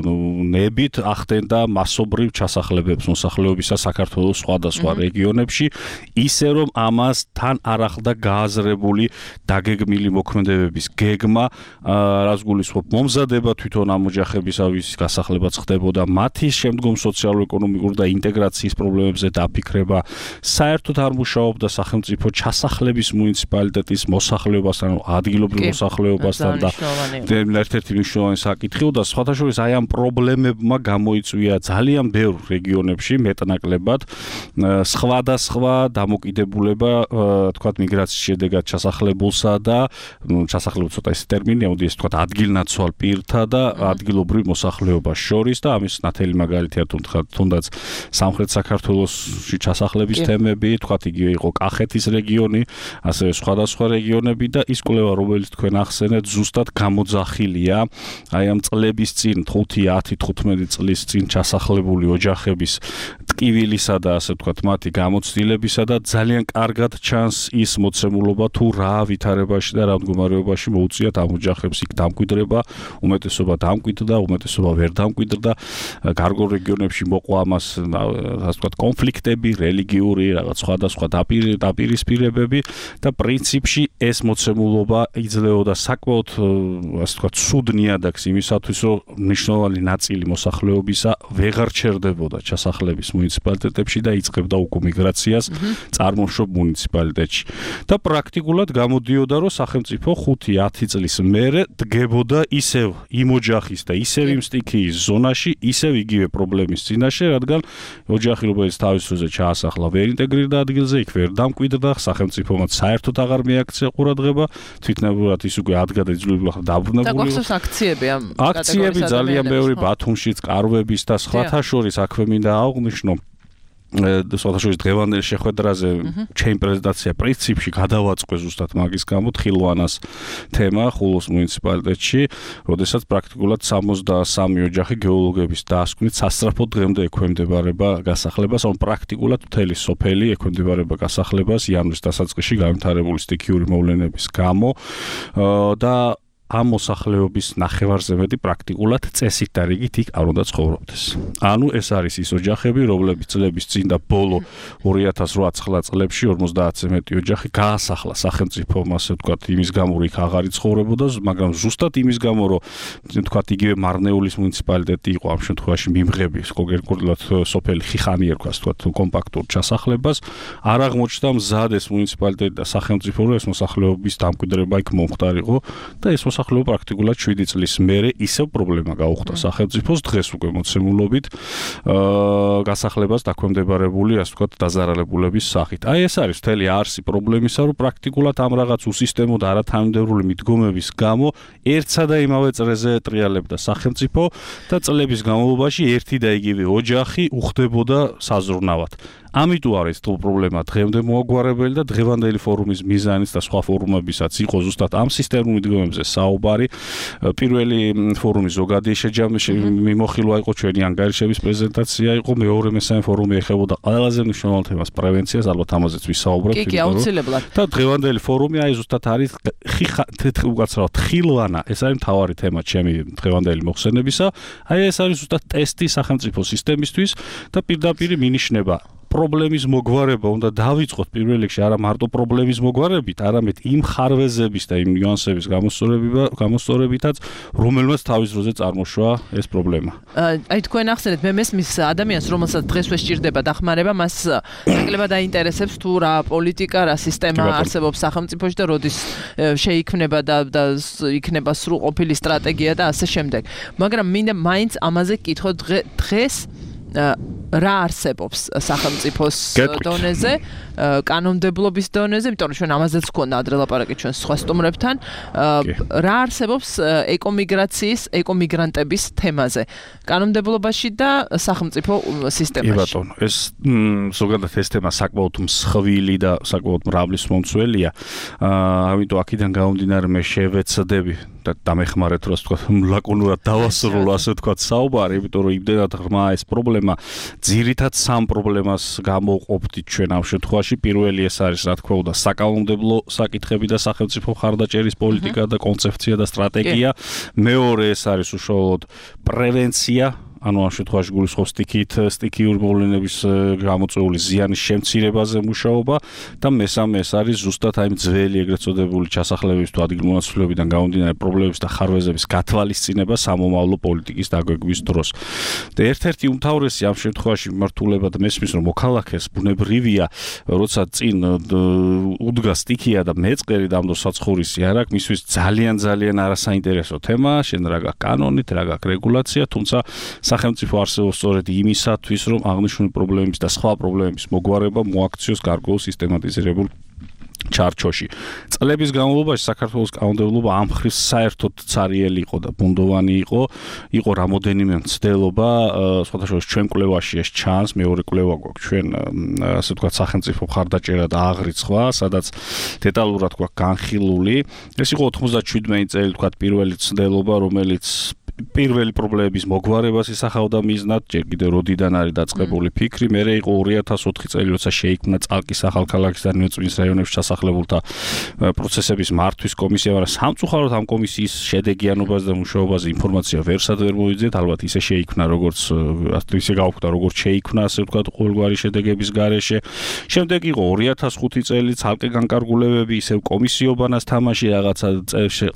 ნებით ახდენდა მასობრივ ჩასახლებებს მოსახლეობისა საქართველოს სხვადასხვა რეგიონებში ისე რომ ამას თან არ ახლდა გააზრებული დაგეგმილი მოქმედებების გეგმა რას გულისხმობ მომზადება თვითონ ამ ოჯახებისავის გასახლებაც ხდებოდა მათი შემდგომ სოციალურ-ეკონომიკურ და ინტეგრაციის პრობლემებზე დაფიქრება საერთოდ არ მუშაობდა სახელმწიფო ჩასახლების მუნიციპალიტეტის მოსახლეობასთან ადგილობრივ მოსახლეობასთან და ერთ-ერთი მნიშვნელოვანი საკითხი და სხვათა შორის აი ამ პრობლემებმა გამოიწვია ძალიან ბევრ რეგიონებში მეტნაკლებად სხვადასხვა დამოკიდებულება თქვათ მიგრაციის შედეგად ჩასახლებულსა და ჩასახლებულ ცოტა ეს ტერმინია ეს თქვათ ადგილნაცვალ პირთა და ადგილობრივ მოსახლეობას შორის და ამის ნათელი მაგალითია თუნდაც სამხრეთ საქართველოსში ჩასახლების თემები, თქვათ იგივე იყო კახეთის რეგიონი, ასევე სხვადასხვა რეგიონები და ის კვლევა რომელიც თქვენ ახსენეთ ზუსტად გამოძახილია აი ამ წლების წინ ხუთი, ათი, თხუთმეტი წლის წინ ჩასახლებული ოჯახების ტკივილისა და ასე ვთქვათ მათი გამოცდილებისა და ძალიან კარგად ჩანს ის მოცემულობა თუ რა ვითარებაში და რა მდგომარეობაში მოუწიათ ამ ოჯახებს იქ დამკვიდრება, უმეტესობა დამკვიდრდა, უმეტესობა ვერ დამკვიდრდა, გარკვეულ რეგიონებში მოყვა ამას ასე ვთქვათ კონფლიქტები, რელიგიური რაღაც სხვადასხვა დაპირისპირებები და პრინციპში ეს მოცემულობა იძლეოდა საკმაოდ ასე ვთქვათ ცუდ ნიადაგს იმისათვის რომ მნიშვნელოვანი ნაწილი მოსახლეობისა ვეღარ ჩერდებოდა ჩასახლების მუნიციპალიტეტებში და იწყებდა უკვე მიგრაციას წარმოშობ მუნიციპალიტეტში და პრაქტიკულად გამოდიოდა რომ სახელმწიფო ხუთი ათი წლის მერე დგებოდა ისევ იმ ოჯახის და ისევ იმ სტიქიის ზონაში ისევ იგივე პრობლემის წინაშე რადგან ოჯახი რომელიც თავის დროზე ჩაასახლა ვერ ინტეგრირდა ადგილზე იქ ვერ დამკვიდრდა სახელმწიფომაც საერთოდ აღარ მიაქცია ყურადღება თვითნებურად ის უკვე ადგა და იძულებული ხარ დაბრუნებული და გვახსოვს აქციები ამ აქციები ძალიან ბევრი ბათუმშიც კარვების და სხვათა შორის აქვე მინდა აღვნიშნო სხვათა შორის დღევანდელ შეხვედრაზე ჩემი პრეზენტაცია პრინციპში გადავაწყვე ზუსტად მაგის გამო ხილვანას თემა ხულოს მუნიციპალიტეტში, როდესაც პრაქტიკულად სამოცდასამი ოჯახი გეოლოგების დასკვნით სასწრაფოდ დღემდე ექვემდებარება გასახლებას, ან პრაქტიკულად მთელი სოფელი ექვემდებარება გასახლებას იანვრის დასაწყისში განვითარებული სტიქიური მოვლენების გამო და ამ მოსახლეობის ნახევარზე მეტი პრაქტიკულად წესით და რიგით იქ არ უნდა ცხოვრობდეს. ანუ ეს არის ის ოჯახები, რომლებიც წლების წინ და ბოლო ორი ათას რვა წლებში ორმოცდაათზე მეტი ოჯახი გაასახლა სახელმწიფომ, ასე ვთქვათ, იმის გამო რომ იქ აღარ იცხოვრებოდა, მაგრამ ზუსტად იმის გამო რომ ვთქვათ იგივე მარნეულის მუნიციპალიტეტი იყო ამ შემთხვევაში მიმღები, კონკრეტულად სოფელი ხიხანი ერქვა, ვთქვათ, კომპაქტურ ჩასახლებას, არ აღმოჩნდა მზად ეს მუნიციპალიტეტი და სახელმწიფო რომ ეს მოსახლეობის დამკვიდრება იქ მომხდარიყო და ეს მოსახლეობა პრაქტიკულად შვიდი წლის მერე ისევ პრობლემა გაუხდა სახელმწიფოს დღეს უკვე მოცემულობით აა გასახლებას დაქვემდებარებული, ასე ვთქვათ, დაზარალებულების სახით. აი ეს არის მთელი არსი პრობლემისა, რომ პრაქტიკულად ამ რაღაც უსისტემო და არათანმიმდევრული მიდგომების გამო ერთსა და იმავე წრეზე ეტრიალებდა სახელმწიფო და წლების განმავლობაში ერთი და იგივე ოჯახი უხდებოდა საზრუნავად. ამიტომ არის თუ პრობლემა დღემდე მოაგვარებელი და დღევანდელი ფორუმის მიზანიც და სხვა ფორუმებისაც იყო ზუსტად ამ სისტემურ მიდგომებზე საუბარი. პირველი ფორუმის ზოგადი შეჯამში მიმოხილვა იყო ჩვენი ანგარიშების პრეზენტაცია იყო, მეორე მესამე ფორუმი ეხებოდა ყველაზე მნიშვნელოვან თემას პრევენციას, ალბათ ამაზეც ვისაუბრებთ. კი, კი, აუცილებლად. და დღევანდელი ფორუმი აი ზუსტად არის უკაცრავად ხილვანა, ეს არის მთავარი თემა ჩემი დღევანდელი მოხსენებისა. აი ეს არის ზუსტად ტესტი სახელმწიფო სისტემისთვის და პირდაპირ მინიშნება პრობლემის მოგვარება უნდა დავიწყოთ პირველ რიგში არა მარტო პრობლემის მოგვარებით, არამედ იმ ხარვეზების და იმ ნიუანსების გამოსწორებითაც, რომელმაც თავის დროზე წარმოშვა ეს პრობლემა. აი თქვენ ახსენეთ, მე მესმის ადამიანს, რომელსაც დღესვე სჭირდება დახმარება, მას ნაკლებად აინტერესებს თუ რა პოლიტიკა, რა სისტემა არსებობს სახელმწიფოში და როდის შეიქმნება და და იქნება სრულყოფილი სტრატეგია და ასე შემდეგ. მაგრამ მინდა მაინც ამაზე კითხო დღეს რა არსებობს სახელმწიფოს დონეზე, კანონმდებლობის დონეზე, იმიტომ რომ ჩვენ ამაზეც გქონდა ადრე ლაპარაკი ჩვენ სხვა სტუმრებთან, რა არსებობს ეკომიგრაციის, ეკომიგრანტების თემაზე, კანონმდებლობაში და სახელმწიფო სისტემაში. კი ბატონო, ეს ზოგადად ეს თემა საკმაოდ მსხვილი და საკმაოდ მრავლის მომცველია. ამიტომ აქედან გამომდინარე მე შევეცდები და დამეხმარეთ რა ვთქვა, ლაკონურად დავასრულო ასე ვთქვა საუბარი, იმიტომ რომ იმდენად ღრმა ეს პრობლემა ძირითად სამ პრობლემას გამოვყოფდით ჩვენ ამ შემთხვევაში. პირველი ეს არის რა თქმა უნდა საკანონმდებლო საკითხები და სახელმწიფო მხარდაჭერის პოლიტიკა და კონცეფცია და სტრატეგია. მეორე ეს არის უშუალოდ პრევენცია, ანუ ამ შემთხვევაში გულისხმობს სტიქით, სტიქიური მოვლენების გამოწვეული ზიანის შემცირებაზე მუშაობა და მესამე ეს არის ზუსტად აი ძველი ეგრეთ წოდებული ჩასახლებების თუ ადგილმონაცვლეობიდან გამომდინარე პრობლემების და ხარვეზების გათვალისწინება სამომავლო პოლიტიკის დაგვეგვის დროს. და ერთ-ერთი უმთავრესი ამ შემთხვევაში მიმართულებად მესმის რომ მოქალაქეს ბუნებრივია, როცა წინ უდგა სტიქია და მეწყერი და ამ დროს საცხოვრისი არ აქვს, მისთვის ძალიან ძალიან არასაინტერესო თემა, შენ რა გაქვს კანონით, რა გაქვს რეგულაცია, თუმცა სახელმწიფო არსებობს სწორედ იმისათვის, რომ აღნიშნული პრობლემების და სხვა პრობლემების მოგვარება მოაქციოს გარკვეულ სისტემატიზირებულ ჩარჩოში. წლების განმავლობაში საქართველოს კანონმდებლობა ამ მხრივ საერთოდ ცარიელი იყო და ბუნდოვანი იყო, იყო რამოდენიმე მცდელობა, სხვათა შორის ჩვენ კვლევაში ეს ჩანს, მეორე კვლევა გვაქვს ჩვენ, ასე ვთქვათ, სახელმწიფო მხარდაჭერა და აღრიცხვა, სადაც დეტალურად გვაქვს განხილული. ეს იყო ოთხმოცდაშვიდმეტი წელი, ვთქვათ, პირველი მცდელობა, რომელიც პირველი პრობლემების მოგვარებას ისახავდა მიზნად, ჯერ კიდევ როდიდან არის დაწყებული ფიქრი, მერე იყო ორი ათას ოთხი წელი, როცა შეიქმნა წალკის ახალქალაქის და ნიუწმინდის რაიონებში ჩასახლებულთა პროცესების მართვის კომისია, მაგრამ სამწუხაროდ ამ კომისიის შედეგიანობაზე და მუშაობაზე ინფორმაცია ვერსად ვერ მოვიძიეთ, ალბათ ისე შეიქმნა, როგორც ისე გავხდა, როგორც შეიქმნა, ასე ვთქვათ, ყოველგვარი შედეგების გარეშე. შემდეგ იყო ორი ათას ხუთი წელი, ცალკე განკარგულებები, ისევ კომისიობანას თამაში, რაღაცა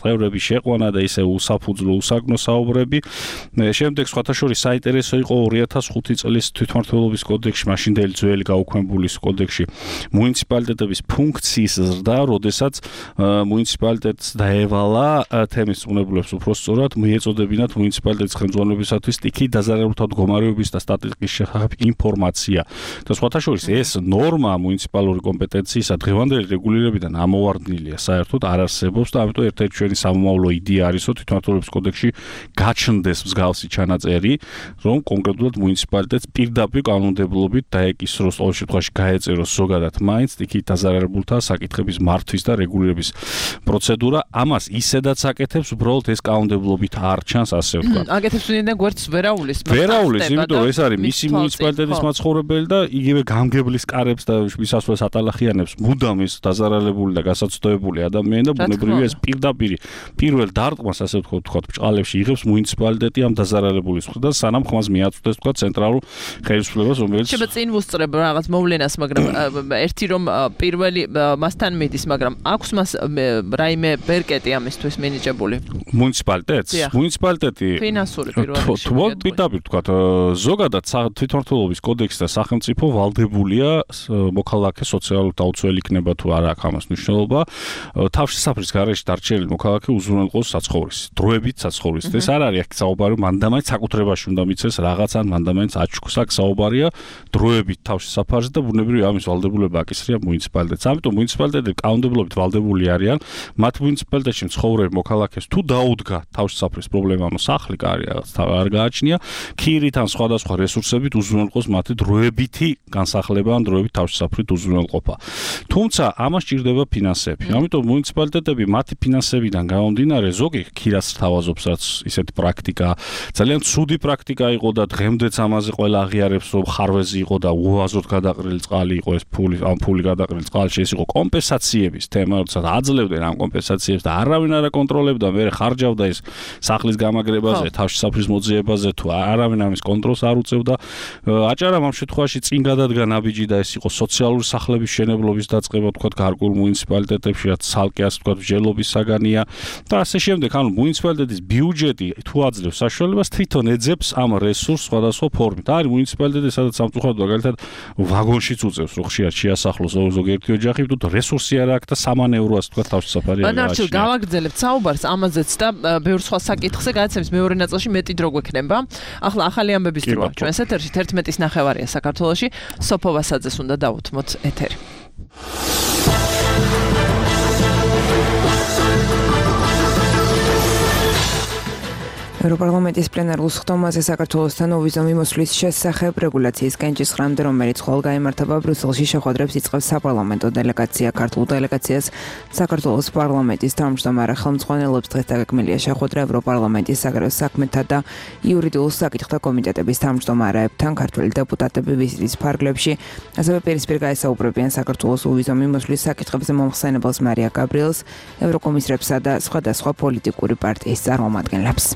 წევრების შეყვანა და ისევ უსაფუძვლო უსაგნო საუბრები. შემდეგ სხვათა შორის საინტერესო იყო ორი ათას ხუთი წლის თვითმმართველობის კოდექსში, მაშინდელი ძველი გაუქმებულის კოდექსში მუნიციპალიტეტების ფუნქციის ზრდა, როდესაც მუნიციპალიტეტს დაევალა თემის უნებულებს უფრო სწორად მიეწოდებინათ მუნიციპალიტეტის ხელმძღვანელობისათვის სტიქი დაზარალებულთა მდგომარეობის და სტატისტიკის შესახებ ინფორმაცია. და სხვათა შორის ეს ნორმა მუნიციპალური კომპეტენციისა დღევანდელი რეგულირებიდან ამოვარდნილია, საერთოდ არ არსებობს და ამიტომ ერთ-ერთი ჩვენი სამომავლო იდეა არის, რომ თვითმმართველობის კოდექსში გაჩნდეს მსგავსი ჩანაწერი, რომ კონკრეტულად მუნიციპალიტეტს პირდაპირ კანონმდებლობით დაეკისროს, ყოველ შემთხვევაში გაეწეროს ზოგადად მაინც სტიქით დაზარალებულთა საკითხების მართვის და რეგულირების პროცედურა. ამას ისედაც აკეთებს, უბრალოდ ეს კანონმდებლობით არ ჩანს, ასე ვთქვათ. აკეთებს ვინმე გვერდს ვერაულის, ვერაულის, იმიტომ რომ ეს არის მისი მუნიციპალიტეტის მაცხოვრებელი და იგივე გამგებლის კარებს და მისასვლელს ატალახიანებს მუდამ ის დაზარალებული და გასაცდოებული ადამიანი და ბუნებრივია ეს პირდაპირ პირველ დარტყმას, ასე ვთქვათ, ბჭყალებში იღებს მუნიციპალიტეტი ამ დაზარალებულის მხრიდან, სანამ ხმას მიაწვდეს თქვა ცენტრალურ ხელისუფლებას, რომელიც შეიძლება წინ ვუსწრებ რაღაც მოვლენას, მაგრამ ერთი რომ პირველი მასთან მიდის, მაგრამ აქვს მას რაიმე ბერკეტი ამისთვის მინიჭებული. მუნიციპალიტეტს, მუნიციპალიტეტი ფინანსური პირველი. პირდაპირ თქვა, ზოგადად თვითმმართველობის კოდექსი და სახელმწიფო ვალდებულია მოქალაქე სოციალურ დაუცველი იქნება თუ არა აქვს ამას მნიშვნელობა. თავშესაფრის გარეშე დარჩენილი მოქალაქე უზრუნველყოს საცხოვრისი, დროებით საცხოვრისი. ეს არ არის აქ საუბარი, მანდამაინც საკუთრებაში უნდა მიცეს რაღაცან, მანდამაინც აჩქოს აქ საუბარია დროებით თავში საფარზე და ბუნებრივია ამის ვალდებულება აკისრია მუნიციპალიტეტს. ამიტომ მუნიციპალიტეტები კანონმდებლობით ვალდებული არიან, მათ მუნიციპალიტეტში მცხოვრებ მოქალაქეს თუ დაუდგა თავში საფრის პრობლემა, ანუ სახლი კარი რაღაც არ გააჩნია, ქირით ან სხვადასხვა რესურსებით უზრუნველყოს მათი დროებითი განსახლება ან დროებით თავში საფრით უზრუნველყოფა. თუმცა ამას ჭირდება ფინანსები. ამიტომ მუნიციპალიტეტები მათი ფინანსებიდან გამომდინარე ზოგი ქირას თავაზობს, რაც ისეთი პრაქტიკა ძალიან ცუდი პრაქტიკა იყო და დღემდეც ამაზე ყველა აღიარებს, რომ ხარვეზი იყო და უაზროდ გადაყრილი წყალი იყო ეს ფული, ამ ფული გადაყრილი წყალში ეს იყო კომპენსაციების თემა, როდესაც აძლევდნენ ამ კომპენსაციებს და არავინ არ აკონტროლებდა, მე ხარჯავდა ეს სახლის გამაგრებაზე, თავში საფრის მოძიებაზე თუ არავინ ამის კონტროლს არ უწევდა. აჭარამ ამ შემთხვევაში წინ გადადგა ნაბიჯი და ეს იყო სოციალური სახლების შენებლობის დაწყება, თქვა გარკვეულ მუნიციპალიტეტებში, რაც ცალკე ასე თქვა ჯელობის საგანია და ასე შემდეგ. ანუ მუნიციპალიტეტის ბიუჯეტი თუ აძლევს საშუალებას თვითონ ეძებს ამ რესურსს სხვადასხვა ფორმით. არის მუნიციპალიტეტი, სადაც სამწუხაროდ მაგალითად ვაგონშიც უწევს, რომ ხშირად შეასახლოს ზოგიერთი ოჯახი, თუ რესურსი არ აქვს და სამანევრო ასე თქვა თავში საფარი არ გააჩნია. მაგრამ გავაგრძელებთ საუბარს ამაზეც და ბევრ სხვა საკითხზე, გადაცემის მეორე ნაწილში მეტი დრო გვექნება. ახლა ახალი ამბების დროა ჩვენს ეთერში თერთმეტის ნახევარია საქართველოში. სოფო ვასაძეს უნდა დავუთმოთ ეთერი. ევროპარლამენტის პლენარულ სხდომაზე საქართველოსთან ვიზო მიმოსვლის შესახებ რეგულაციის კენჭისყრამდე, რომელიც ხვალ გაიმართება ბრიუსელში, შეხვედრებს იწყებს საპარლამენტო დელეგაცია. ქართულ დელეგაციას საქართველოს პარლამენტის თავმჯდომარე ხელმძღვანელობს დღეს დაგეგმილია შეხვედრა ევროპარლამენტის საგარეო საქმეთა და იურიდიულ საკითხთა კომიტეტების თავმჯდომარეებთან. ქართველი დეპუტატები ვიზიტის ფარგლებში ასევე პირისპირ გაესაუბრებიან საქართველოს ვიზო მიმოსვლის საკითხებზე მომხსენებელს მარია გაბრიელს, ევროკომისრებსა და სხვადასხვა პოლიტიკური პარტიის წარმომადგენლებს.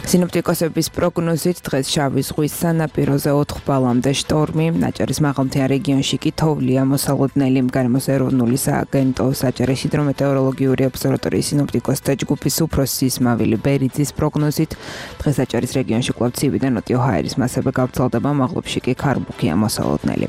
სინოპტიკოსების პროგნოზით დღეს შავი ზღვის სანაპიროზე ოთხ ბალამდე შტორმი, აჭარის მაღალმთიან რეგიონში კი თოვლია მოსალოდნელი. გარემოს ეროვნული სააგენტოს აჭარის ჰიდრომეტეოროლოგიური ობსერვატორიის სინოპტიკოსთა ჯგუფის უფროსი ისმავილი ბერიძის პროგნოზით დღეს აჭარის რეგიონში კვლავ ცივი და ნოტიო ჰაერის მასები გავრცელდება, მაღლობში კი ქარბუქია მოსალოდნელი.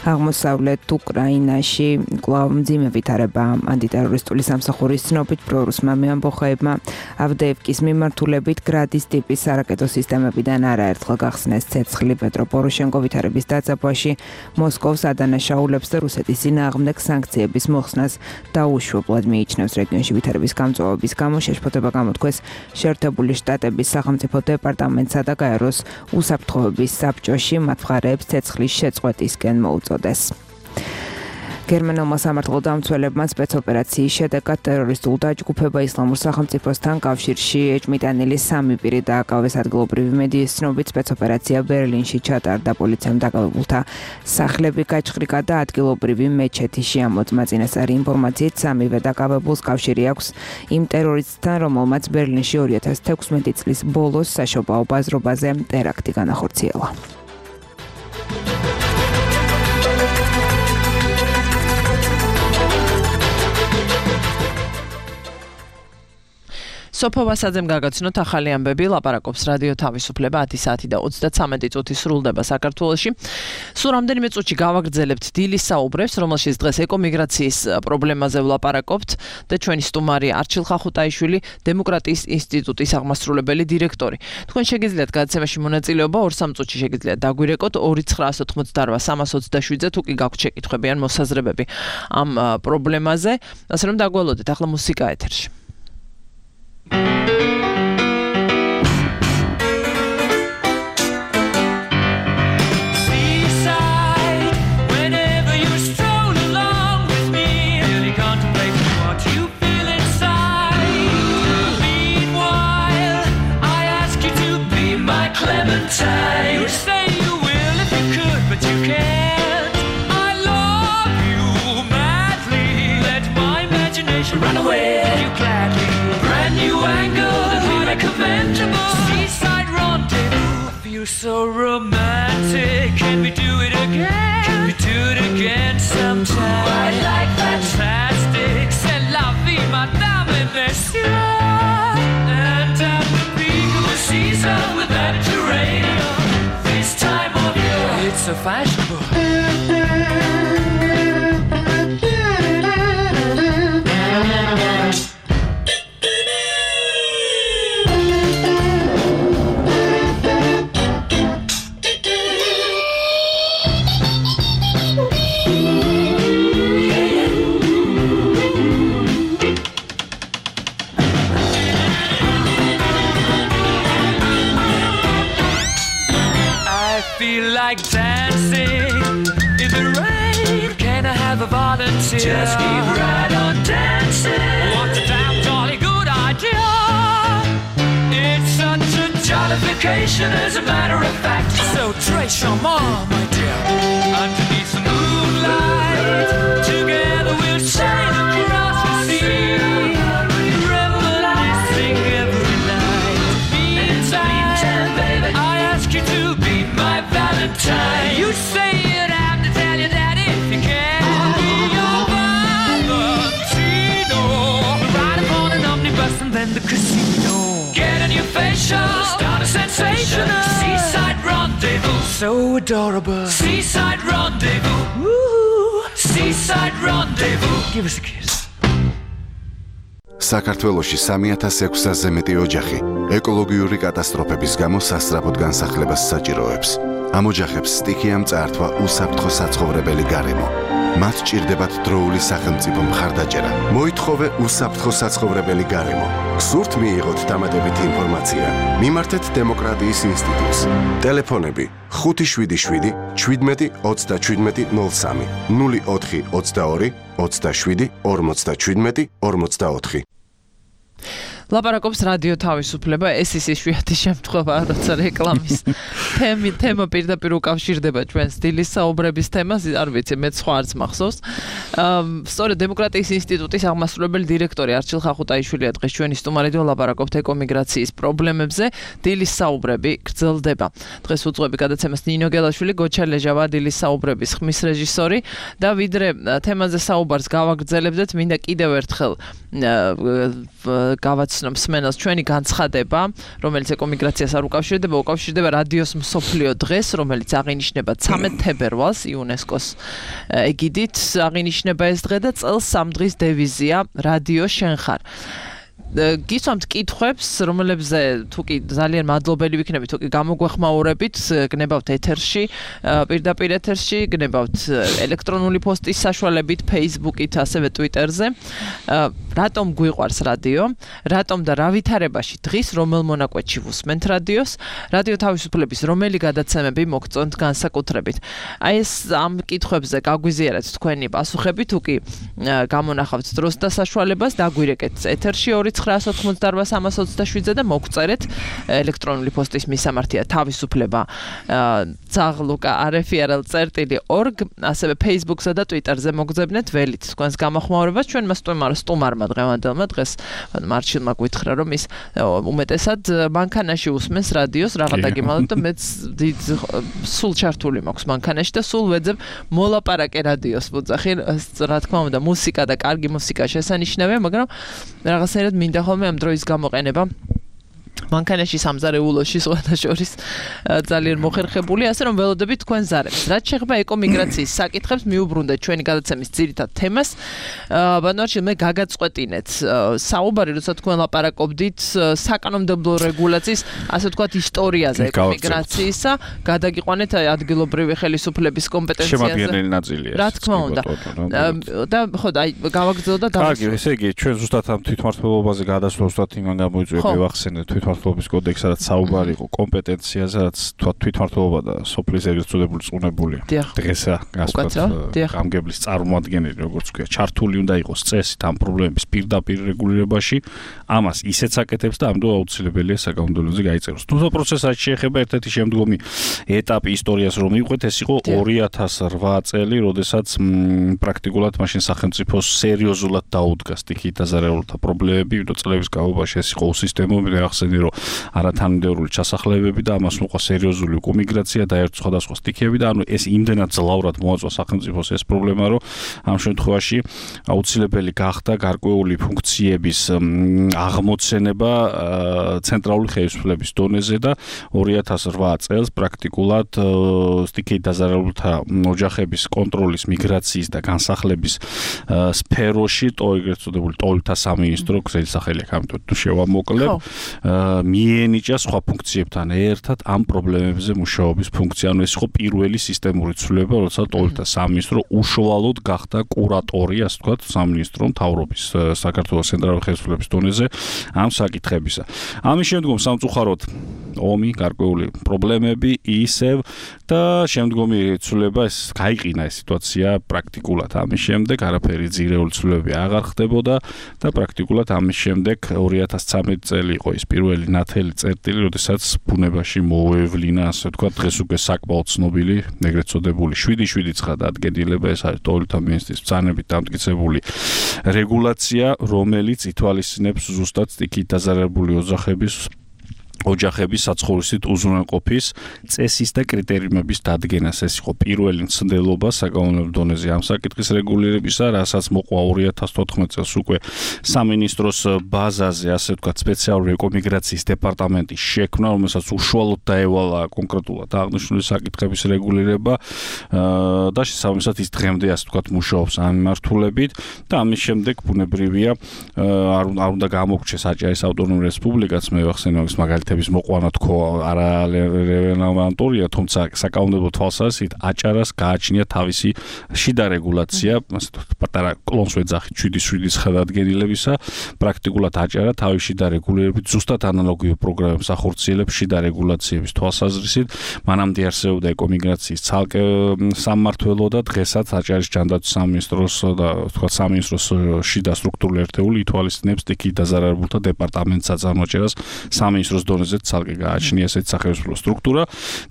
აღმოსავლეთ უკრაინაში კვლავ მძიმე ვითარება ანტიტერორისტული სამსახურის ცნობით პრორუსმა მეამბოხეებმა ავდეევკის მიმართულებით გრადის ტიპის სარაკეტო სისტემებიდან არაერთხელ გახსნეს ცეცხლი. პეტრო პოროშენკო ვითარების დაძაბვაში მოსკოვს ადანაშაულებს და რუსეთის წინააღმდეგ სანქციების მოხსნას დაუშვებლად მიიჩნევს. რეგიონში ვითარების გამწვავების გამო შეშფოთება გამოთქვეს შეერთებული შტატების სახელმწიფო დეპარტამენტსა და გაეროს უსაფრთხოების საბჭოში, მათ მხარეებს ცეცხლის შეწყვეტისკენ მოუწოდეს. გერმანულმა სამართლო დამცველებმა სპეცოპერაციის შედეგად ტერორისტულ დაჯგუფება ისლამურ სახელმწიფოსთან კავშირში ეჭმიტანილი სამი პირი დააკავეს. ადგილობრივი მედიის ცნობით სპეცოპერაცია ბერლინში ჩატარდა. პოლიციამ დაკავებულთა სახლები გაჩხრიკა და ადგილობრივი მეჩეთი შეამოწმა. წინასწარი ინფორმაციით სამივე დაკავებულს კავშირი აქვს იმ ტერორისტთან, რომელმაც ბერლინში ორი ათას თექვსმეტი წლის ბოლოს საშობაო ბაზრობაზე ტერაქტი განახორციელა. სოფო ვასაძემ გაგაცნოთ ახალი ამბები, ლაპარაკობს რადიო თავისუფლება ათი საათი და ოცდაცამეტი წუთი სრულდება საქართველოში. სულ რამდენიმე წუთში გავაგრძელებთ დილის საუბრებს, რომელშიც დღეს ეკომიგრაციის პრობლემაზე ვლაპარაკობთ და ჩვენი სტუმარი არჩილ ხახუტაიშვილი, დემოკრატიის ინსტიტუტის აღმასრულებელი დირექტორი. თქვენ შეგიძლიათ გადაცემაში მონაწილეობა ორ სამ წუთში შეგიძლიათ დაგვირეკოთ ორი ცხრა ოცდაოთხმოცდარვა სამას ოცდაშვიდზე თუ კი გაქვთ შეკითხვები ან მოსაზრებები ამ პრობლემაზე, ასე რომ დაგველოდეთ ახლა მუსიკა ეთერში. Seaside, whenever you stroll along with me, really contemplate what you feel inside. Meanwhile, I ask you to be my Clementine. You say you will if you could, but you can't. I love you madly. Let my imagination run away. You gladly. New angle that we recommend. Seaside rendezvous. Feel so romantic. Can we do it again? Can we do it again sometime? I like fantastic. C'est la vie, madame, et messieurs. And at the peak of the season with that geranium, this time of year, it's so fashionable. sing in the rain. Can I have a volunteer? Just keep right on dancing. What a damn jolly good idea. It's such a jollification as a matter of fact. So trace your mom, my dear, underneath the moonlight. Together we'll sail across the sea, reminiscing every night. Meantime, baby, I ask you to be my Valentine. You say you'd have to tell your daddy if you can. I'll be your Valentino. Ride upon an omnibus and then the casino. Get a new facial, start a sensation. Seaside rendezvous, so adorable. Seaside rendezvous, woo. Seaside rendezvous. Give us a kiss. საქართველოში სამი ათას ექვსასზე მეტი ოჯახი ეკოლოგიური კატასტროფების გამო სასწრაფოდ განსახლებას საჭიროებს. ამ ოჯახებს სტიქიამ წაართვა უსაფრთხო საცხოვრებელი გარემო. მათ ჭირდებათ დროული სახელმწიფო მხარდაჭერა. მოითხოვე უსაფრთხო საცხოვრებელი გარემო. სურთ მიიღოთ დამატებითი ინფორმაცია? მიმართეთ დემოკრატიის ინსტიტუტს. ტელეფონები ხუთი შვიდი შვიდი შვიდმეტი ოცდაშვიდმეტი ნულ სამი ნული ოთხი ოცდაორი ოცდაშვიდი ორმოცდაშვიდმეტი ორმოცდაოთხი. ლაპარაკობს რადიო თავისუფლება, ეს ის იშვიათი შემთხვევა, როცა რეკლამის თემი თემა პირდაპირ უკავშირდება ჩვენს დილის საუბრების თემას, არ ვიცი, მე სხვა არც მახსოვს. სწორედ დემოკრატიის ინსტიტუტის აღმასრულებელი დირექტორი არჩილ ხახუტაიშვილია დღეს ჩვენი სტუმარიდან ლაპარაკობთ ეკომიგრაციის პრობლემებზე, დილის საუბრები გრძელდება. დღეს უძღვები გადაცემას ნინო გელაშვილი, გოჩა ლეჟავა, დილის საუბრების ხმის რეჟისორი და ვიდრე თემაზე საუბარს გავაგრძელებდეთ, მინდა კიდევ ერთხელ გავაცნობ მსმენელს ჩვენი განცხადება, რომელიც ეკომიგრაციას არ უკავშირდება, უკავშირდება რადიოს მსოფლიო დღეს, რომელიც აღინიშნება ცამეტ თებერვალს იუნესკოს ეგიდით, აღინიშნება ეს დღე და წელს სამ დღის დევიზია რადიო შენ ხარ. გისვამთ კითხვებს, რომელებზე თუკი ძალიან მადლობელი ვიქნები, თუკი გამოგვეხმაურებით, გნებავთ ეთერში, პირდაპირ ეთერში, გნებავთ ელექტრონული პოსტის საშუალებით, Facebook-ით, ასევე Twitter-ზე. რატომ გვიყვარს რადიო? რატომ და რა ვითარებაში დღის რომელ მონაკვეთში ვუსმენთ რადიოს? რადიო თავისუფლების რომელი გადაცემები მოგწონთ განსაკუთრებით? აი ეს ამ კითხვებზე გაგვიზიარეთ თქვენი პასუხები, თუკი გამონახავთ დროს და საშუალებას, დაგვირეკეთ ეთერში ორი ცხრა ოცდაოთხ სამას ოცდაშვიდზე და მოგწერეთ ელექტრონული პოსტის მისამართია თავისუფლება ძაღლუკა არეფიარელ წერტილი ორგ, ასევე Facebook-სა და Twitter-ზე მოგძებნეთ ველით თქვენს გამოხმაურებას. ჩვენმა სტუმარმა დღევანდელმა დღეს მარჩილმა გვითხრა, რომ ის უმეტესად მანქანაში უსმენს რადიოს, რაღაც დაგიმალოთ და მეც დიდ სულ ჩართული მაქვს მანქანაში და სულ ვეძებ მოლაპარაკე რადიოს მოძახი, რა თქმა უნდა, მუსიკა და კარგი მუსიკა შესანიშნავია, მაგრამ რაღაცნაირად მინდა ხოლმე ამ დროის გამოყენება. მანქანაში სამზარეულოში სხვათა შორის ძალიან მოხერხებული, ასე რომ ველოდებით თქვენ ზარებს. რაც შეეხება ეკომიგრაციის საკითხებს, მიუბრუნდეთ ჩვენი გადაცემის ძირითად თემას. ბანვარჩილ, მე გაგაწყვეტინეთ საუბარი, როცა თქვენ ლაპარაკობდით საკანონმდებლო რეგულაციის, ასე ვთქვათ, ისტორიაზე ეკომიგრაციისა, გადაგიყვანეთ ადგილობრივი ხელისუფლების კომპეტენციაზე. შემადგენელი ნაწილია. რა თქმა უნდა. და ხო, აი გავაგრძელო და კარგი, ესე იგი, ჩვენ ზუსტად ამ თვითმმართველობაზე გადასვლა ზუსტად იმან გამოიწვია, ვახსენეთ თვითმმართველობის კოდექსი, რაც საუბარი იყო კომპეტენციაზე, რაც თვითმმართველობა და სოფლის ეგრეთ წოდებული წუნებულია. დღესა გასვათ გამგებლის წარმოადგენელი, როგორც ვქვია, ჩართული უნდა იყოს წესით ამ პრობლემების პირდაპირ რეგულირებაში. ამას ისეც აკეთებს და ამდენ აუცილებელია საკანონმდებლოზე გაიწეროს. თუმცა პროცესად შეეხება ერთ-ერთი შემდგომი ეტაპი ისტორიას რომ მივყვეთ, ეს იყო ორი ათას რვა წელი, როდესაც პრაქტიკულად მაშინ სახელმწიფოს სერიოზულად დაუდგა სტიქიით დაზარალებულთა პრობლემები, ვიდრე წლების განმავლობაში ეს იყო უსისტემური, ახსენე რომ არათანმიმდევრული ჩასახლებები და ამას მოყვა სერიოზული ეკომიგრაცია და ერთ სხვადასხვა სტიქიები და ანუ ეს იმდენად ძლავრად მოაწვა სახელმწიფოს ეს პრობლემა, რომ ამ შემთხვევაში აუცილებელი გახდა გარკვეული ფუნქციების აღმოცენება ცენტრალური ხელისუფლების დონეზე და ორი ათას რვა წელს პრაქტიკულად სტიქიით დაზარალებულთა ოჯახების კონტროლის, მიგრაციის და განსახლების სფეროში, ეგრეთ წოდებული ტოლთა სამინისტრო, გზელი სახელი აქვს, ამიტომ თუ შევამოკლებ, მიენიჭა სხვა ფუნქციებთან ერთად ამ პრობლემებზე მუშაობის ფუნქცია. ანუ ეს იყო პირველი სისტემური ცვლილება, როცა ტოვებდა სამინისტრო უშუალოდ გახდა კურატორი, ასე ვთქვათ, სამინისტრო მთავრობის საქართველოს ცენტრალური ხელისუფლების დონეზე ამ საკითხებისა. ამის შემდგომ სამწუხაროდ ომი, გარკვეული პრობლემები ისევ და შემდგომი ცვლილება ეს გაიყინა ეს სიტუაცია პრაქტიკულად. ამის შემდეგ არაფერი ძირეული ცვლილებები აღარ ხდებოდა და პრაქტიკულად ამის შემდეგ ორი ათას ცხრამეტი წელი იყო ის პირველი ნათელი წერტილი, როდესაც ბუნებაში მოევლინა, ასე ვთქვათ, დღეს უკვე საკმაოდ ცნობილი, ეგრეთ წოდებული შვიდი შვიდი ცხრა დადგენილება, ეს არის ტოვლთა მინისტრის ბრძანებით დამტკიცებული რეგულაცია, რომელიც ითვალისწინებს ზუსტად სტიქით დაზარალებული ოჯახების ოჯახების საცხოვრისით უზრუნველყოფის წესის და კრიტერიუმების დადგენას. ეს იყო პირველი მცდელობა საკანონმდებლო დონეზე ამ საკითხის რეგულირებისა, რასაც მოყვა ორი ათას თოთხმეტ წელს უკვე სამინისტროს ბაზაზე, ასე ვთქვათ, სპეციალური ეკომიგრაციის დეპარტამენტის შექმნა, რომელსაც უშუალოდ დაევალა კონკრეტულად აღნიშნული საკითხების რეგულირება და შესაბამისად ის დღემდე, ასე ვთქვათ, მუშაობს ამ მიმართულებით და ამის შემდეგ ბუნებრივია არ უნდა გამოგრჩეს აჭარის ავტონომიური რესპუბლიკაც, მე ვახსენე ის მაგალითად მოყვანა თქო არა რელევანტურია, თუმცა საკანონმდებლო თვალსაზრისით აჭარას გააჩნია თავისი შიდა რეგულაცია, ასე ვთქვათ, პატარა კლონს ვეძახით შვიდი შვიდის ხელადგენილებისა, პრაქტიკულად აჭარა თავისი შიდა რეგულირებით ზუსტად ანალოგიურ პროგრამებს ახორციელებს შიდა რეგულაციების თვალსაზრისით. მანამდე არსებობდა ეკომიგრაციის ცალკე სამმართველო და დღესაც აჭარის ჯანდაცვის სამინისტროს და ვთქვათ სამინისტროს შიდა სტრუქტურული ერთეული ითვალისწინებს სტიქით დაზარალებულთა დეპარტამენტს აწარმოაჭერას სამინისტროს დონეზე ცალკე გააჩნია ესეთი სახელმწიფო სტრუქტურა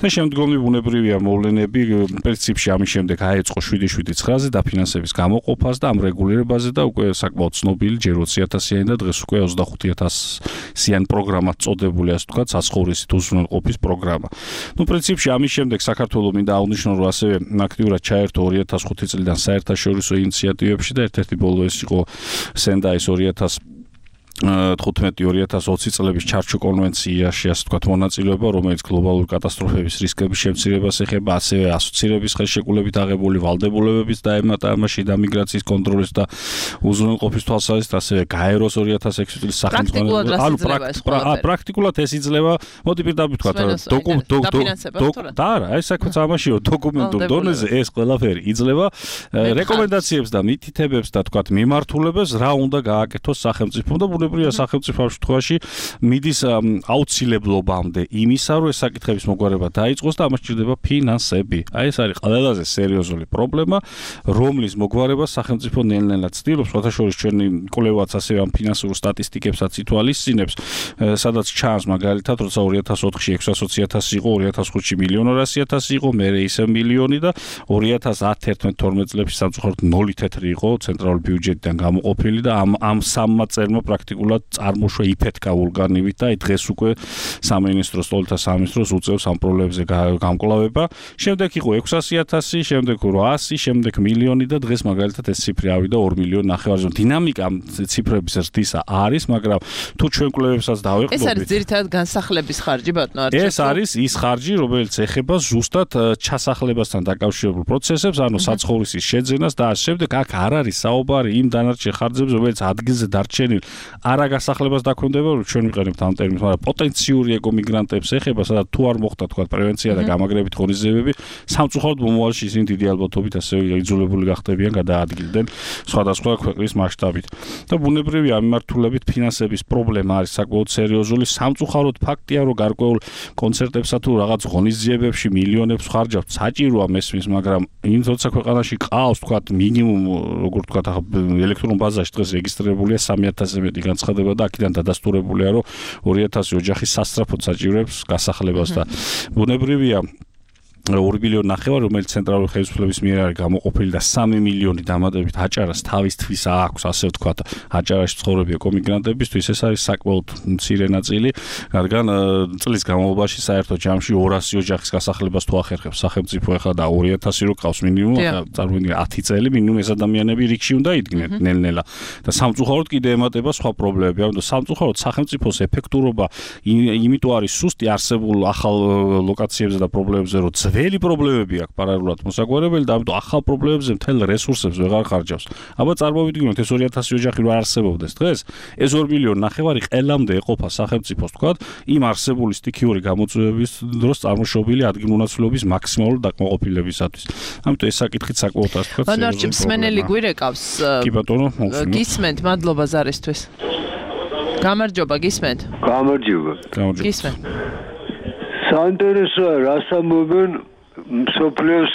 და შემდგომი ბუნებრივია მოვლენები პრინციპში ამის შემდეგ აეწყო შვიდი შვიდი ცხრაზე დაფინანსების გამოყოფას და ამ რეგულირებაზე და უკვე საკმაოდ ცნობილი ჯერ ოცი ათასიანი და დღეს უკვე ოცდახუთი ათასიანი პროგრამა წოდებული, ასე ვთქვათ, საცხოვრისით უზრუნველყოფის პროგრამა. ნუ პრინციპში ამის შემდეგ საქართველოს მინდა აღნიშნო, რომ ასევე აქტიურად ჩაერთო ორი ათას ხუთი წლიდან საერთაშორისო ინიციატივებში და ერთ-ერთი ბოლო ეს იყო სენდაის ორი ათას თხუთმეტი ორი ათას ოცი წლების ჩარჩო კონვენციაში, ასე ვთქვათ, მონაწილეობა, რომელიც გლობალური კატასტროფების რისკების შემცირებას ეხება, ასევე ასოცირების ხელშეკრულებით აღებული ვალდებულებების დაემატა ამაში და მიგრაციის კონტროლის და უზრუნველყოფის თვალსაზრისით, ასევე გაეროს ორი ათას ექვსი წლის სახელმწიფო ანუ პრაქტიკულად ეს იძლევა, მოდი პირდაპირ ვთქვათ, დოკუმენტ და არა, ეს საქმეც ამაშია, დოკუმენტურ დონეზე ეს ყველაფერი იძლევა რეკომენდაციებს და მითითებებს და ვთქვათ, მიმართულებას რა უნდა გააკეთოს სახელმწიფომ და ბუნებრივია სახელმწიფო ამ შემთხვევაში მიდის აუცილებლობამდე იმისა, რომ ეს საკითხების მოგვარება დაიწყოს და ამას სჭირდება ფინანსები. აი ეს არის ყველაზე სერიოზული პრობლემა, რომლის მოგვარებას სახელმწიფო ნელ-ნელა ცდილობს, სხვათაშორის ჩვენი კვლევაც ასევე ამ ფინანსურ სტატისტიკებსაც ითვალისწინებს, სადაც ჩანს მაგალითად, როცა ორი ათას ოთხში ექვსას ოცი ათასი იყო, ორი ათას ხუთში მილიონ ორასი ათასი იყო, მერე ისევ მილიონი და ორი ათას ათი ათერთმეტ თორმეტ წლებში სამწუხაროდ ნოლი თეთრი იყო ცენტრალური ბიუჯეტიდან გამოყოფილი და ამ ამ სამმა წერმა პრაქტიკულად წარმოშვა იფეთქა ვულკანივით და დღეს უკვე სამინისტროს ტოლთა სამინისტროს უწევს ამ პრობლემებზე გამკლავება. შემდეგ იყო ექვსასი ათასი, შემდეგ რვაასი, შემდეგ მილიონი და დღეს მაგალითად ეს ციფრი ავიდა ორი მილიონი ნახევარზე. დინამიკა ციფრების ზრდისა არის, მაგრამ თუ ჩვენ კვლევებსაც დავეყრდებით, ეს არის ძირითადად განსახლების ხარჯი, ბატონო არჩევ. ეს არის ის ხარჯი, რომელიც ეხება ზუსტად ჩასახლებასთან დაკავშირებულ პროცესებს, ანუ საცხოვრისის შეძენას და ამ შემდეგ აქ არ არის საუბარი იმ დანარჩენ ხარჯებზე, რომელიც ადგილზე დარჩენილ არა გასახლებას დაქვემდებარა, რომ ჩვენ ვიყენებთ ამ ტერმინს, მაგრამ პოტენციური ეკომიგრანტებს ეხება, სადაც თუ არ მოხდა თქვა პრევენცია და გამაგრებით ღონისძიებები, სამწუხაროდ მომავალში ისინი დიდი ალბათობით ასევე იძულებული გახდებიან გადაადგილდნენ სხვადასხვა ქვეყნის მასშტაბით. და ბუნებრივია ამ მიმართულებით ფინანსების პრობლემა არის საკმაოდ სერიოზული. სამწუხაროდ ფაქტია, რომ გარკვეულ კონცერტებსა თუ რაღაც ღონისძიებებში მილიონებს ხარჯავთ, საჭიროა მესმის, მაგრამ იმ როცა ქვეყანაში ყავს თქვა მინიმუმ, როგორ თქვა ელექტრონ ბაზაში დღეს რეგისტრირებულია სამი ათასზე მეტი განცხადება და აქედან დადასტურებულია, რომ ორი ათასი ოჯახი სასწრაფოდ საჭიროებს გასახლებას და ბუნებრივია ორი მილიონი ნახევარი, რომელიც ცენტრალური ხელისუფლების მიერ არის გამოყოფილი და სამი მილიონი დამატებით აჭარას თავისთვის აქვს, ასე ვთქვათ, აჭარაში ცხოვრები ეკომიგრანტებისთვის, ეს არის საკმაოდ მცირე ნაწილი, რადგან წლის განმავლობაში საერთო ჯამში ორასი ოჯახის გასახლებას თუ ახერხებს სახელმწიფო ახლა და ორი ათასი რო ყავს მინიმუმ, წარმოიდგინე ათი წელი მინიმუმ ეს ადამიანები რიგში უნდა იდგნენ ნელ-ნელა და სამწუხაროდ კიდე ემატება სხვა პრობლემები, ამიტომ სამწუხაროდ სახელმწიფოს ეფექტურობა იმიტომ არის სუსტი არსებულ ახალ ლოკაციებზე და პრობლემებზე, რომ ძველი პრობლემები აქვს პარალელურად მოსაგვარებელი და ამიტომ ახალ პრობლემებზე მთელ რესურსებს ვეღარ ხარჯავს. აბა წარმოვიდგინოთ ეს ორი ათასი ოჯახი რა არსებობდეს დღეს, ეს ორი მილიონი ნახევარი ყელამდე ეყოფა სახელმწიფოს თქვა იმ არსებული სტიქიური გამოწვევების დროს წარმოშობილი ადგილმონაცვლეობის მაქსიმალური დაკმაყოფილებისათვის. ამიტომ ეს საკითხიც საკმაოდ ასე თქვა. ბანარჩი მსმენელი გვირეკავს. კი ბატონო, გისმენთ, მადლობა ზარისთვის. გამარჯობა, გისმენთ. გამარჯობა. გამარჯობა. გისმენთ. საინტერესოა რას ამბობენ მსოფლიოს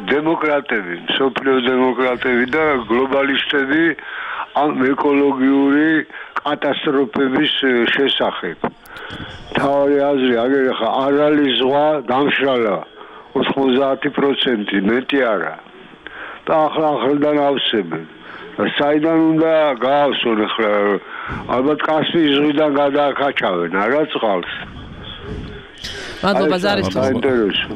დემოკრატები, მსოფლიოს დემოკრატები და გლობალისტები ამ ეკოლოგიური კატასტროფების შესახებ. თავი აზრი აგერ ხა არ არის ზღვა დამშრალა ოცდაათი პროცენტი მეტი არა. და ახლა ახლიდან ავსებენ. საიდან უნდა გაავსონ ახლა ალბათ კასპიის ზღვიდან გადააკაჩავენ არა წყალს. მადლობა ზარისთვის. საინტერესო.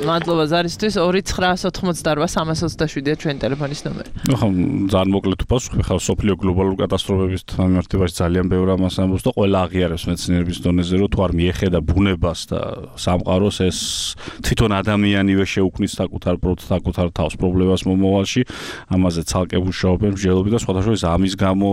მადლობა ზარისთვის. ორი ცხრაას ოთხმოცდაოთხ სამას ოცდაშვიდია ჩვენი ტელეფონის ნომერი. ნუ ხომ ძალიან მოკლედ უპასუხე ხა სოფლიო გლობალურ კატასტროფების მიმართებაში ძალიან ბევრი ამას ამბობს და ყველა აღიარებს მეცნიერების დონეზე რომ თუ არ მიეხედა ბუნებას და სამყაროს ეს თვითონ ადამიანივე შეუქმნის საკუთარ საკუთარ თავს პრობლემას მომავალში ამაზე ცალკე მუშაობენ მსჯელობები და სხვადასხვა ამის გამო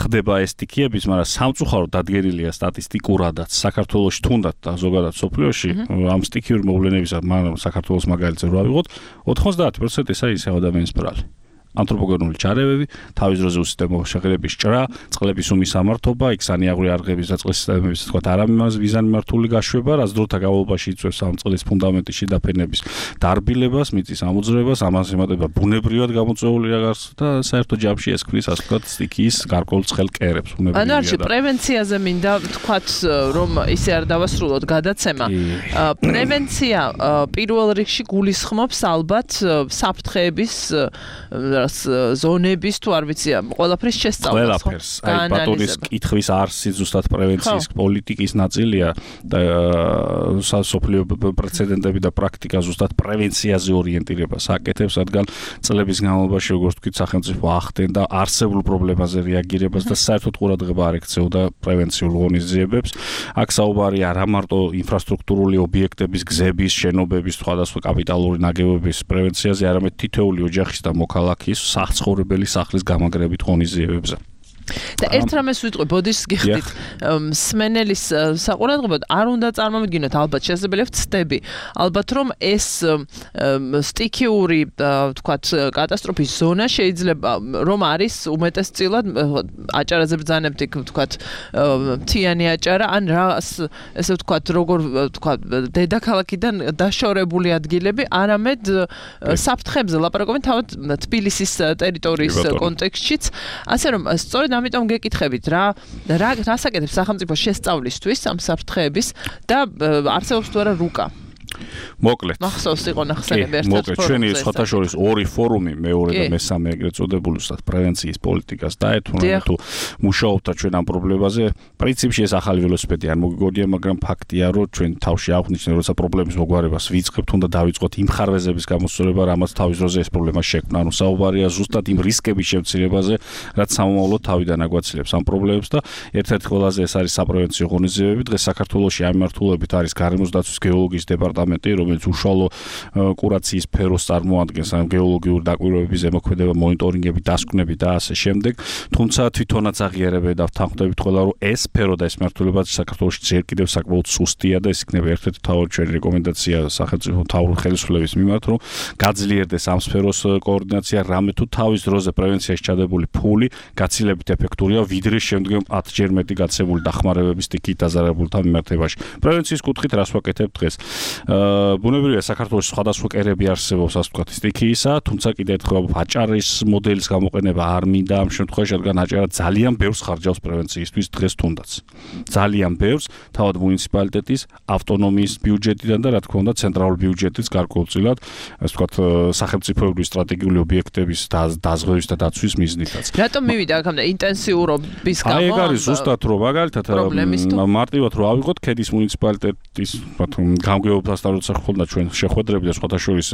ხდება ეს სტიქიების მაგრამ სამწუხაროდ დადგენილია სტატისტიკურადაც საქართველოში თუნდაც და ზოგადად სოფლიოში ამ სტიქიური მოვლენებისა მაგრამ საქართველოს მაგალითზე რა ვიღოთ ოცდაათი პროცენტი ესაა ის ადამიანის ბრალი. ანთროპოგენური ჩარევები, თავის დროზე უსისტემო შეხედების ჭრა, წყლების უმისამართობა, იქსანიაღური არღების და წყლის სისტემების თქვა არამიმას ვიზანმართული გაშვება, რაც დროთა განმავლობაში იწვევს ამ წყლის ფუნდამენტის შედაფენების დარბილებას, მიწის ამოძრებას, ამას ემატება ბუნებრივად გამოწვეული რაღაც და საერთო ჯამში ეს ქმნის ასე ვთქვათ სტიქიის გარკვეულ ცხელ კერებს ბუნებრივად. ანუ არჩი პრევენციაზე მინდა ვთქვათ რომ ისე არ დავასრულოთ გადაცემა. პრევენცია პირველ რიგში გულისხმობს ალბათ საფრთხეების ზონების თუ არ ვიცი ყველაფრის შესწავლას ხო? ყველაფერს. აი ბატონის კითხვის არსი ზუსტად პრევენციის პოლიტიკის ნაწილია და სასოფლიო პრეცედენტები და პრაქტიკა ზუსტად პრევენციაზე ორიენტირებას აკეთებს, რადგან წლების განმავლობაში როგორც თქვით სახელმწიფო ახდენდა არსებულ პრობლემაზე რეაგირებას და საერთოდ ყურადღება არ ექცეოდა პრევენციულ ღონისძიებებს. აქ საუბარია არა მარტო ინფრასტრუქტურული ობიექტების, გზების, შენობების, სხვადასხვა კაპიტალური ნაგებობების პრევენციაზე, არამედ თითოეული ოჯახის და მოქალაქის საცხოვრებელი სახლის გამაგრებით ღონისძიებებზე. და ერთ რამეს ვიტყვი, ბოდიშს გიხდით. მსმენელის საყურადღებოდ არ უნდა წარმოვიდგინოთ, ალბათ შესაძლებელია ვცდები. ალბათ რომ ეს სტიქიური, ვთქვათ, კატასტროფის ზონა შეიძლება რომ არის უმეტესწილად აჭარაზე ბრძანებთ იქ, ვთქვათ, მთიანი აჭარა, ან რა ესე ვთქვათ, როგორ ვთქვათ, დედაქალაქიდან დაშორებული ადგილები, არამედ საფრთხებზე ლაპარაკობენ თავად თბილისის ტერიტორიის კონტექსტშიც, ასე რომ სწორედ ამიტომ გეკითხებით რა რა რასაკეთებს სახელმწიფო შესწავლისთვის ამ საფრთხეების და არსებობს თუ არა რუკა. მოკლედ. მახსოვს იყო ნახსენები ერთად. მოკლედ, ჩვენი სხვათა შორის ორი ფორუმი, მეორე და მესამე ეგრეთ წოდებული უბრალოდ პრევენციის პოლიტიკას დაეთმო თუ მუშაობთ ჩვენ ამ პრობლემაზე. პრინციპში ეს ახალი ველოსიპედი არ მოგიგონია, მაგრამ ფაქტია, რომ ჩვენ თავში აღვნიშნეთ, როცა პრობლემის მოგვარებას ვიწყებთ, უნდა დავიწყოთ იმ ხარვეზების გამოსწორება, რამაც თავის დროზე ეს პრობლემა შექმნა. ანუ საუბარია ზუსტად იმ რისკების შემცირებაზე, რაც სამომავლოდ თავიდან აგვაცილებს ამ პრობლემებს და ერთ-ერთი ყველაზე ეს არის საპრევენციო ღონისძიებები. დღეს საქართველოში ამ მიმართულებით არის გარემოს დაცვის გეოლოგიის დეპარტამენტი, რომელიც უშუალო კურაციის სფეროს წარმოადგენს, ან გეოლოგიური დაკვირვებების ზემოქმედება, მონიტორინგები, დასკვნები და ასე შემდეგ. თუმცა თვითონაც აღიარებენ და ვთანხმდებით ყველა, რომ ეს სფერო და ეს მიმართულება საქართველოში ჯერ კიდევ საკმაოდ სუსტია და ეს იქნება ერთ-ერთი თავი ჩვენი რეკომენდაცია სახელმწიფო მთავრობის ხელისუფლების მიმართ, რომ გაძლიერდეს ამ სფეროს კოორდინაცია, რამე თუ თავის დროზე პრევენციაში ჩადებული ფული გაცილებით ეფექტურია, ვიდრე შემდგომ ათჯერ მეტი გაცემული დახმარებების სტიქიით დაზარალებულთა მიმართებაში. პრევენციის კუთხით რას ვაკეთებ დღეს? ბუნებრივია საქართველოს სხვადასხვა კერები არსებობს, ასე ვთქვათ, სტიქიისა, თუმცა კიდევ ერთხელ აჭარის მოდელის გამოყენება არ მინდა ამ შემთხვევაში, რადგან აჭარა ძალიან ბევრს ხარჯავს პრევენციისთვის დღეს თუნდაც. ძალიან ბევრს, თავად მუნიციპალიტეტის ავტონომიის ბიუჯეტიდან და რა თქმა უნდა ცენტრალური ბიუჯეტის გარკვეულწილად, ასე ვთქვათ, სახელმწიფოებრივი სტრატეგიული ობიექტების დაზღვევის და დაცვის მიზნითაც. რატომ მივიდა აქამდე ინტენსიურობის გამო? აი ეგ არის ზუსტად რომ მაგალითად მარტივად რომ ავიღოთ ქედის მუნიციპალიტეტის გამგეობთა სახელმწიფოსთან როცა ხონდა ჩვენ შეხვედრები და სხვათა შორის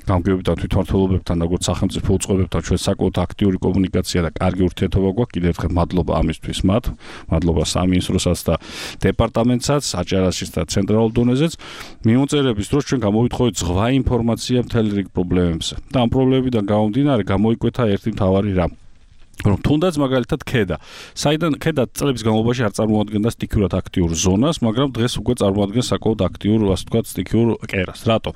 გამგეობებთან თვითმმართველობებთან როგორც სახელმწიფო უწყებებთან ჩვენ საკმაოდ აქტიური კომუნიკაცია და კარგი ურთიერთობა გვაქვს კიდევ ერთხელ მადლობა ამისთვის მათ მადლობა სამინისტროსაც და დეპარტამენტსაც აჭარაშიც და ცენტრალურ დონეზეც მიმოწერების დროს ჩვენ გამოვიტყოდით ზღვა ინფორმაცია მთელი რიგ პრობლემებზე და ამ პრობლემებიდან გამომდინარე გამოიკვეთა ერთი მთავარი რამ რომ თუნდაც მაგალითად ქედა საიდან ქედა წლების განმავლობაში არ წარმოადგენდა სტიქიურად აქტიურ ზონას მაგრამ დღეს უკვე წარმოადგენს საკმაოდ აქტიურ ასე ვთქვათ სტიქიურ კერას რატო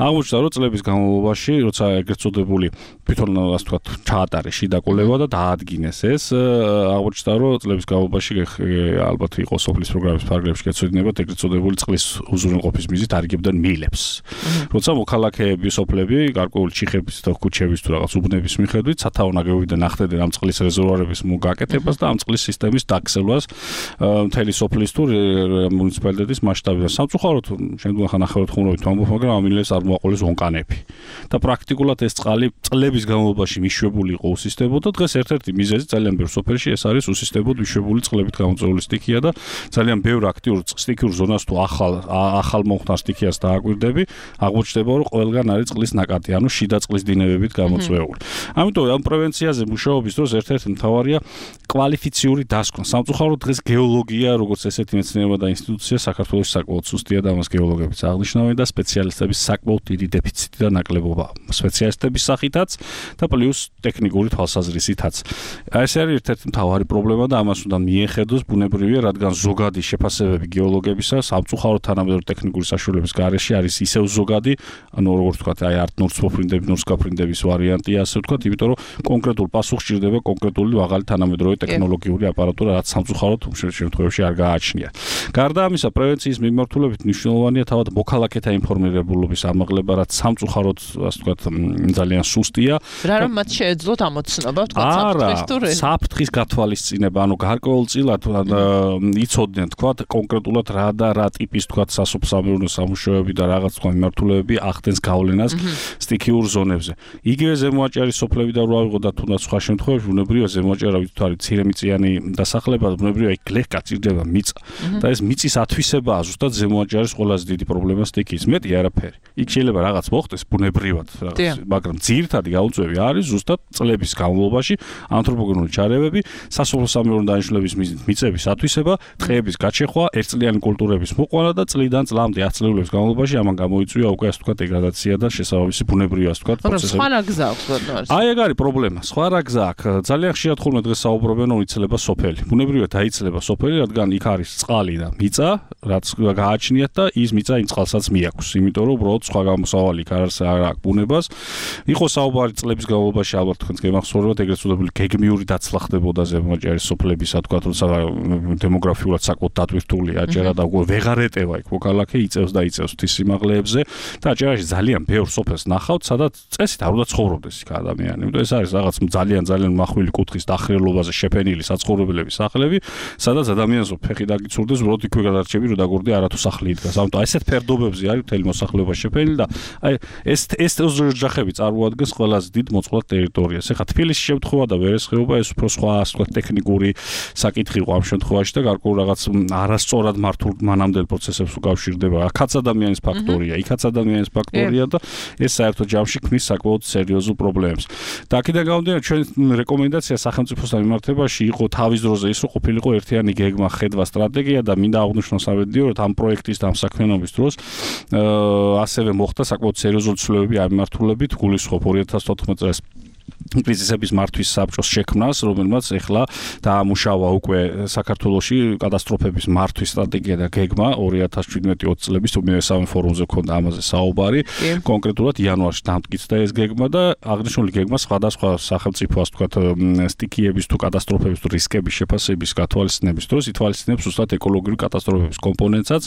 აღმოჩნდა რომ წლების განმავლობაში როცა ეგრეთ წოდებული თვითონ ასე ვთქვათ ჩაატარეს შიდაკულება და დაადგინეს ეს აღმოჩნდა რომ წლების განმავლობაში ალბათ იყო სოფლის პროგრამის ფარგლებში გეცოდინებათ ეგრეთ წოდებული წყლის უზრუნველყოფის მიზნით არიგებდნენ მილებს როცა მოქალაქეები სოფლები გარკვეული ჩიხების და ქუჩების თუ რაღაც უბნების მიხედვით სათავო ნაგებობიდან ახდედნენ ამ წყლის რეზერვუარების მოგაკეთებას და ამ წყლის სისტემის დაქცევას მთელი სოფლის თუ მუნიციპალიტეტის მასშტაბიდან. სამწუხაროდ შემდგომ ხანახევრად ხუმრობით ვამბობ, მაგრამ ამ მილებს არ მოაყოლეს ონკანები. და პრაქტიკულად ეს წყალი წლების განმავლობაში მიშვებული იყო უსისტემოდ და დღეს ერთ-ერთი მიზეზი ძალიან ბევრ სოფელში ეს არის უსისტემოდ მიშვებული წყლებით გამოწვეული სტიქია და ძალიან ბევრ აქტიურ სტიქიურ ზონას თუ ახალ ახალ მომხდარ სტიქიას დააკვირდები, აღმოჩნდება რომ ყველგან არის წყლის ნაკადი, ანუ შიდა წყლის დინებებით გამოწვეული. ამიტომ ამ პრევენციაზე მუშაობის დროს ერთ-ერთი მთავარია კვალიფიციური დასკვნა. სამწუხაროდ დღეს გეოლოგია, როგორც ესეთი მეცნიერება და ინსტიტუცია საქართველოს საკმაოდ სუსტია და ამას გეოლოგებიც აღნიშნავენ და სპეციალისტების საკმაოდ დიდი დეფიციტი და ნაკლებობა. სპეციალისტების სახითაც და პლუს ტექნიკური თვალსაზრისითაც. ეს არის ერთ-ერთი მთავარი პრობლემა და ამას უნდა მიეხედოს ბუნებრივია, რადგან ზოგადი შეფასებები გეოლოგებისა სამწუხაროდ თანამედროვე ტექნიკური საშუალების გარეშე არის ისევ ზოგადი, ანუ როგორც ვთქვათ, აი არტ ნურს მოფრინდები, ნურს გაფრინდების ვარიანტია, ასე ვთქვათ, იმიტომ რომ კონკრეტულ პასუხს სჭირდება კონკრეტული მაღალი თანამედროვე ტექნოლოგიური აპარატურა, რაც სამწუხაროდ შემთხვევებში არ გააჩნია. გარდა ამისა, პრევენციის მიმართულებით მნიშვნელოვანია თავად მოქალაქეთა ინფორმირებულობის ამაღლება, რაც სამწუხაროდ, ასე ვთქვათ, ძალიან სუსტია. რა რომ მათ შეეძლოთ ამოცნობა, ვთქვათ, საფრთხის თუ საფრთხის გათვალისწინება, ანუ გარკვეულწილად იცოდნენ, ვთქვათ, კონკრეტულად რა და რა ტიპის, ვთქვათ, სასოფლო-სამეურნეო სამუშაოები და რაღაც თქვა მიმართულებები ახდენს გავლენას სტიქიურ ზონებზე. იგივე ზემოაჭარის სოფლები და რო ავიღო და თუნდაც სხვა შემთხვევებში ბუნებრივია ზემოაჭარა ვით არის ცირემიწიანი დასახლება, ბუნებრივია იქ ლეგ გაწირდება მიწა. და ეს მიწის ათვისებაა ზუსტად ზემოაჭარის ყველაზე დიდი პრობლემა სტიქიის. მეტი არაფერი. იქ შეიძლება რაღაც მოხდეს ბუნებრივად, მაგრამ ძირითადი გაუწევი არის ზუსტად წლების განმავლობაში ანთროპოგენური ჩარევები, სასოფლო-სამეურნეო დანიშნულების მიზნით მიწების ათვისება, ტყეების გაჩეხვა, ერთწლიანი კულტურების მოყვანა და წლიდან წლამდე ათ წლების განმავლობაში ამან გამოიწვია უკვე ასე ვთქვათ დეგრადაცია და შესაბამისი ბუნებრივი ასე ვთქვათ პროცესები. სხვა რა გზა აქვს ბატონო? აი ეგ არის პრობლემა. სხვა რა გზა აქვს? ძალიან ხშირად ხოლმე დღეს საუბრობენ რომ იცლება სოფელი. ბუნებრივად დაიცლება სოფელი, რადგან იქ არის წყალი და მიწა, რაც გააჩნიათ და ის მიწა იმ წყალსაც მიაქვს. იმიტომ რომ უბრალოდ სხვა გამოსავალი იქ არ აქვს ბუნებას. იყო საუბარი წლების განმავლობაში ალბათ თქვენს გემახსოვრებათ ეგრეთ წოდებული გეგმიური დაცლა ხდებოდა ზემოაჭარის სოფლების, ასე ვთქვათ, როცა დემოგრაფიულად საკმაოდ დატვირთული აჭარა და უკვე ვეღარ ეტევა იქ მოქალაქე იწევს და იწევს ღვთის სიმაღლეებზე და აჭარაში ძალიან ბევრ სოფელს ნახავთ, სადაც წესით არ უნდა ცხოვრობდეს იქ ადამიანი. იმიტომ ეს არის რაღაც ძალიან ძალიან მახვილი კუთხის დახრილობაზე შეფენილი საცხოვრებლების სახლები, სადაც ადამიანს ფეხი დაგიცურდეს, უბრალოდ იქვე გადარჩები, რომ დაგორდი არათუ სახლი იდგას. ამიტომ ესეთ ფერდობებზე არის მთელი მოსახლეობა შეფენილი და აი ეს ეს ოჯახები წარმოადგენს ყველაზე დიდ მოწყვლად ტერიტორიას. ეხლა თბილისის შემთხვევა და ვერესხეობა ეს უფრო სხვა ასე ვთქვათ ტექნიკური საკითხი იყო ამ შემთხვევაში და გარკვეულ რაღაც არასწორად მართულ მანამდელ პროცესებს უკავშირდება. აქაც ადამიანის ფაქტორია, იქაც ადამიანის ფაქტორია და ეს საერთო ჯამში ქმნის საკმაოდ სერიოზულ პრობლემებს. და აქედან გამომდინარე ჩვენ რეკომენდაცია სახელმწიფოსთან მიმართებაში იყო თავის დროზე ის რომ ყოფილიყო ერთიანი გეგმა, ხედვა, სტრატეგია და მინდა აღვნიშნო სამედიო რომ ამ პროექტის და ამ საქმიანობის დროს ასევე მოხდა საკმაოდ სერიოზული ცვლილებები ამ მიმართულებით, გულისხმობ ორი ათას თოთხმეტ წელს კრიზისების მართვის საბჭოს შექმნას, რომელმაც ეხლა დაამუშავა უკვე საქართველოში კატასტროფების მართვის სტრატეგია და გეგმა ორი ათას შვიდმეტი ოცი წლების მესამე ფორუმზე ქონდა ამაზე საუბარი. კონკრეტულად იანვარში დამტკიცდა ეს გეგმა და აღნიშნული გეგმა სხვადასხვა სახელმწიფო ასე ვთქვათ სტიქიების თუ კატასტროფების თუ რისკების შეფასების გათვალისწინების დროს ითვალისწინებს უბრალოდ ეკოლოგიური კატასტროფების კომპონენტსაც.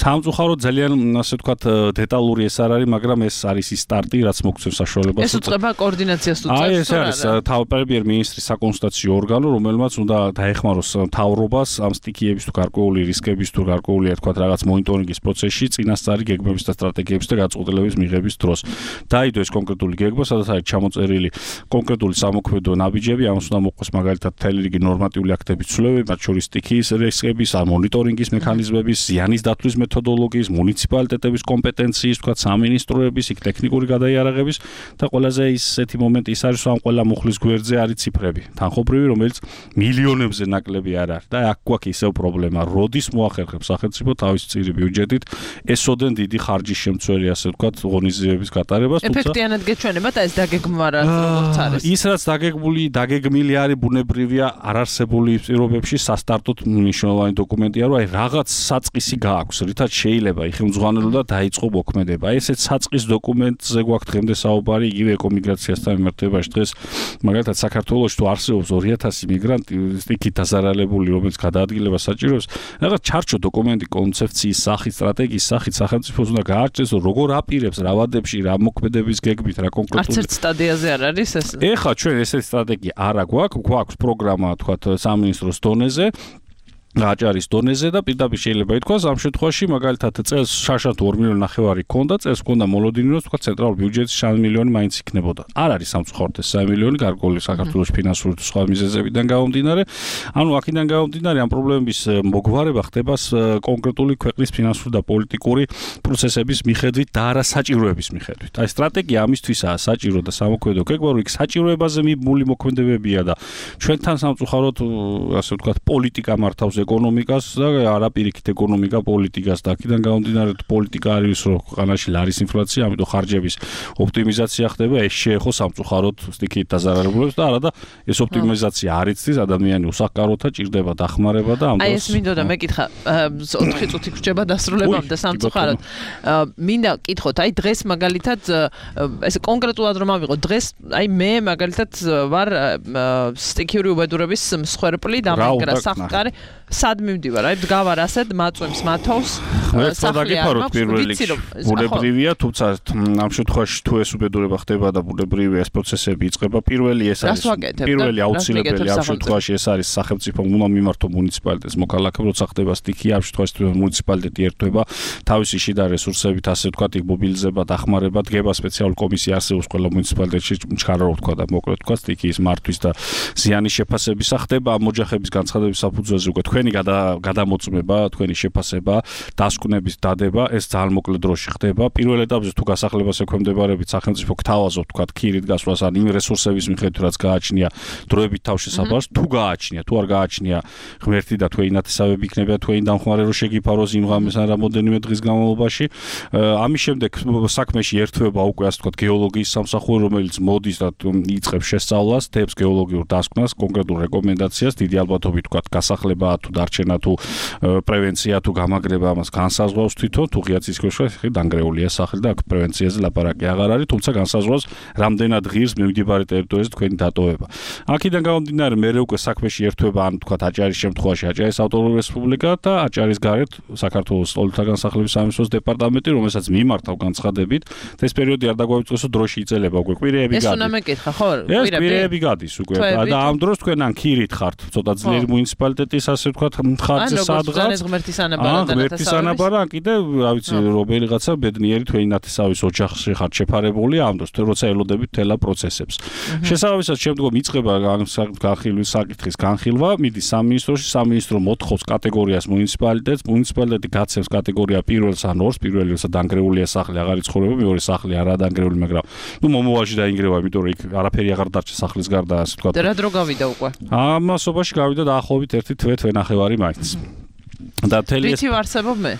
სამწუხაროდ ძალიან ასე ვთქვათ დეტალური ეს არ არის, მაგრამ ეს არის ის სტარტი, რაც მოგცემს საშუალებას. ეს უწყება კოორდინაციას აი ეს არის პრემიერ-მინისტრის საკონსულტაციო ორგანო, რომელმაც უნდა დაეხმაროს მთავრობას ამ სტიქიების თუ გარკვეული რისკების თუ გარკვეული თქვა რაღაც მონიტორინგის პროცესში წინასწარი გეგმების და სტრატეგიების და გაწყვეტილების მიღების დროს. დაიდო ეს კონკრეტული გეგმა, სადაც არის ჩამოწერილი კონკრეტული სამოქმედო ნაბიჯები, ამას უნდა მოყვეს მაგალითად მთელი რიგი ნორმატიული აქტების ცვლილებები, მათ შორის სტიქიის რისკების, მონიტორინგის მექანიზმების, ზიანის დათვლის მეთოდოლოგიის, მუნიციპალიტეტების კომპეტენციის, თქვა სამინისტროების, იქ ტექნიკური გადაიარაღების და ყველაზე ისეთი მომენტი ის არის, რომ ამ ყველა მუხლის გვერდზე არის ციფრები. თანხმობრივი, რომელიც მილიონებზე ნაკლები არ არის და აქ გვაქვს ისევ პრობლემა, როდის მოახერხებს სახელმწიფო თავის წირი ბიუჯეტით ესოდენ დიდი ხარჯის შემცველი, ასე ვთქვათ, ღონისძიებების გატარებას, თუმცა ეფექტიანად გეჩვენება და ეს დაგეგმვა როგორც არის. ის რაც დაგეგმული, დაგეგმილი არის ბუნებრივია არარსებული პირობებში სასტარტოდ მნიშვნელოვანი დოკუმენტია, რომ აი რაღაც საწყისი გააქვს, რითაც შეიძლება იხელმძღვანელო და დაიწყო მოქმედება. აი ესეც საწყის დოკუმენტზე გვაქვს დღემდე საუბარი იგივე ეკომიგრაციასთან მიმართებაში. დღეს მაგალითად საქართველოში თუ არსებობს ორი ათასი მიგრანტი სტიქით დაზარალებული, რომელიც გადაადგილება საჭიროებს, რაღაც ჩარჩო დოკუმენტი კონცეფციის სახით, სტრატეგიის სახით სახელმწიფოს უნდა გააჩნდეს, რომ როგორ აპირებს რა ვადებში, რა მოქმედების გეგმით, რა კონკრეტული არც ერთ სტადიაზე არ არის ეს. ეხლა ჩვენ ესეთი სტრატეგია არა გვაქვს, გვაქვს პროგრამა, თქვათ, სამინისტროს დონეზე, აჭარის დონეზე და პირდაპირ შეიძლება ითქვას ამ შემთხვევაში მაგალითად წელს შარშად ორ მილიონი ნახევარი ქონდა, წელს ქონდა მოლოდინი, რომ თქვა ცენტრალურ ბიუჯეტში სამი მილიონი მაინც იქნებოდა. არ არის სამწუხაროდ ეს სამი მილიონი გარკვეული საქართველოს ფინანსური თუ სხვა მიზეზებიდან გამომდინარე. ანუ აქედან გამომდინარე ამ პრობლემების მოგვარება ხდება კონკრეტული ქვეყნის ფინანსური და პოლიტიკური პროცესების მიხედვით და არა საჭიროების მიხედვით. აი სტრატეგია ამისთვისაა საჭირო და სამოქმედო გეგმა, რომ იქ საჭიროებაზე მიბმული მოქმედებებია და ჩვენთან სამწუხაროდ ასე ვთქვათ პოლიტიკა მართავს ეკონომიკას და არაპირიქით ეკონომიკა პოლიტიკას და აქედან გამომდინარე პოლიტიკა არის რომ ქვეყანაში არის ინფლაცია, ამიტომ ხარჯების ოპტიმიზაცია ხდება, ეს შეეხო სამწუხაროდ სტიქით დაზარალებულებს და არა და ეს ოპტიმიზაცია არ იცდის, ადამიანი უსახკაროთა ჭირდება დახმარება და ამ დროს აი ეს მინდოდა მეკითხა ოთხი წუთი გრჩება დასრულებამდე სამწუხაროდ. მინდა კითხოთ, აი დღეს მაგალითად ეს კონკრეტულად რომ ავიღო, დღეს აი მე მაგალითად ვარ სტიქიური უბედურების მსხვერპლი და მაგრა სახკარი სად მივდივარ, აი დგავარ ასეთ მაწვემს მათავს სახლი არ მაქვს, ვიცი რომ ბუნებრივია, თუმცა ამ შემთხვევაში თუ ეს უბედურება ხდება და ბუნებრივია ეს პროცესები იწყება, პირველი ეს არის პირველი აუცილებელი ამ შემთხვევაში ეს არის სახელმწიფომ უნდა მიმართო მუნიციპალიტეტს მოქალაქეებს, როცა ხდება სტიქია, ამ შემთხვევაში მუნიციპალიტეტი ერთვება თავისი შიდა რესურსებით, ასე ვთქვათ, იქ მობილიზება, დახმარება, დგება სპეციალური კომისია არსებობს ყველა მუნიციპალიტეტში, ჩქარა რო ვთქვა და მოკლედ ვთქვა სტიქიის მართვის და ზიანის შეფასებისა ხდება ამ ოჯახების განცხადების საფუძველზე უკვე თქვენი გადამოწმება, თქვენი შეფასება, დასკვნების დადება, ეს ძალიან მოკლე დროში ხდება. პირველ ეტაპზე თუ გასახლებას ექვემდებარებით სახელმწიფო გთავაზობ, თქვა ქირით გასვლას ან იმ რესურსების მიხედვით, რაც გააჩნია დროებით თავშესაფარს, თუ გააჩნია, თუ არ გააჩნია, ღმერთი და თქვენი ნათესავები იქნება თქვენი დამხმარე რო შეგიფაროს იმ ღამეს ან რამოდენიმე დღის განმავლობაში. ამის შემდეგ საქმეში ერთვება უკვე ასე ვთქვათ გეოლოგიის სამსახური, რომელიც მოდის და იწყებს შესწავლას, დებს გეოლოგიურ დასკვნას, კონკრეტულ რეკომენდაციას, დიდი ალბათობით ვთქვათ გასახლება თუ დარჩენა თუ პრევენცია თუ გამაგრება ამას განსაზღვრავს თვითონ თუ ღია ცისქვეშა დანგრეულია სახლი და აქ პრევენციაზე ლაპარაკი აღარ არის, თუმცა განსაზღვრავს რამდენად ღირს მიმდებარე ტერიტორიაზე თქვენი დატოვება. აქედან გამომდინარე მე უკვე საქმეში ერთვება ან თქვა აჭარის შემთხვევაში აჭარის ავტონომიური რესპუბლიკა და აჭარის გარეთ საქართველოს სტოლთა განსახლების სამინისტროს დეპარტამენტი, რომელსაც მიმართავ განცხადებით, ეს პერიოდი არ დაგვაიწყოს დროში იწელება უკვე კვირეები გადის. ეს უნდა მეკითხა, ხო? კვირეები გადის უკვე და ამ დროს თქვენ ან ქირით ხართ, ცოტა ძლიერი მუნიციპალიტეტის ასე ვთქვათ ხარჯზე სადღაც. ან ღმერთის ანაბარა და ღმერთის ანაბარა, ან კიდე რა ვიცი, რომელიღაცა ბედნიერი თქვენი ნათესავის ოჯახში ხართ შეფარებული ამ დროს, როცა ელოდებით თელა პროცესებს. შესაბამისად, შემდგომ იწყება განხილვის საკითხის განხილვა, მიდის სამინისტროში, სამინისტრო მოთხოვს კატეგორიას მუნიციპალიტეტს, მუნიციპალიტეტი გაცემს კატეგორია პირველს ან ორს, პირველი როცა დანგრეულია სახლი, აღარ იცხოვრება, მეორე სახლი არაა დანგრეული, მაგრამ ნუ მომავალში დაინგრევა, იმიტომ რომ იქ არაფერი აღარ დარჩა სახლის გარდა, ასე ვთქვათ. რა დრო გავიდა უკვე? ამასობაში გავიდა დაახლოებით ერთი თვე თვე ნახევარი მაინც. და თელი ვიცი ვარსებობ მე?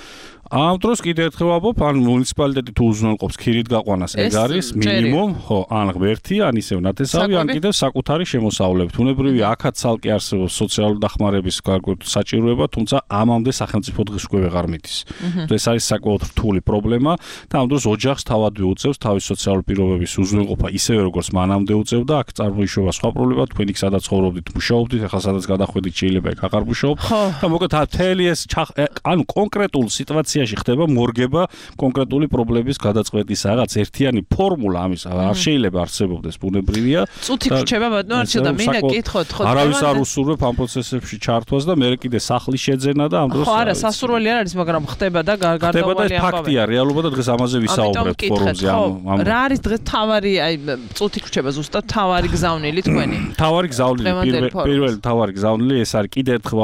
ამ დროს კიდე ერთხელ ვაბობ, ან მუნიციპალიტეტი თუ უზრუნველყოფს ქირით გაყვანას, ეგ არის მინიმუმ, ხო, ან ღმერთი, ან ისევ ნათესავი, ან კიდევ საკუთარი შემოსავლებით. უნებრივია, აქაც ცალკე არსებობს სოციალური დახმარების გარკვეული საჭიროება, თუმცა ამამდე სახელმწიფო დღეს უკვე ვეღარ მიდის. ეს არის საკმაოდ რთული პრობლემა და ამ დროს ოჯახს თავადვე უწევს თავის სოციალური პირობების უზრუნველყოფა, ისევე როგორც მანამდე უწევდა, აქ წარმოიშობა სხვა პრობლემა, თქვენ იქ სადაც ცხოვრობდით, მუშაობდით, ახლა სადაც გადახვედით შეიძლება იქ აღარ მუშაობ და მოკლედ თელი ეს ანუ კონკრეტულ სიტუაციაში ადმინისტრაციაში ხდება მორგება კონკრეტული პრობლემის გადაწყვეტის რაღაც ერთიანი ფორმულა ამის არ შეიძლება არსებობდეს ბუნებრივია. წუთი რჩება ბატონო არჩილ და მინდა კითხოთ ხო არავის არ უსურვებ ამ პროცესებში ჩართვას და მე კიდე სახლის შეძენა და ამ დროს ხო არა სასურველი არ არის მაგრამ ხდება და გარდაუვალი ამბავი. ფაქტია რეალობა და დღეს ამაზე ვისაუბრებთ ფორუმზე ამ რა არის დღეს თავარი აი წუთი რჩება ზუსტად თავარი გზავნილი თქვენი თავარი გზავნილი პირველი თავარი გზავნილი ეს არის კიდე ერთხელ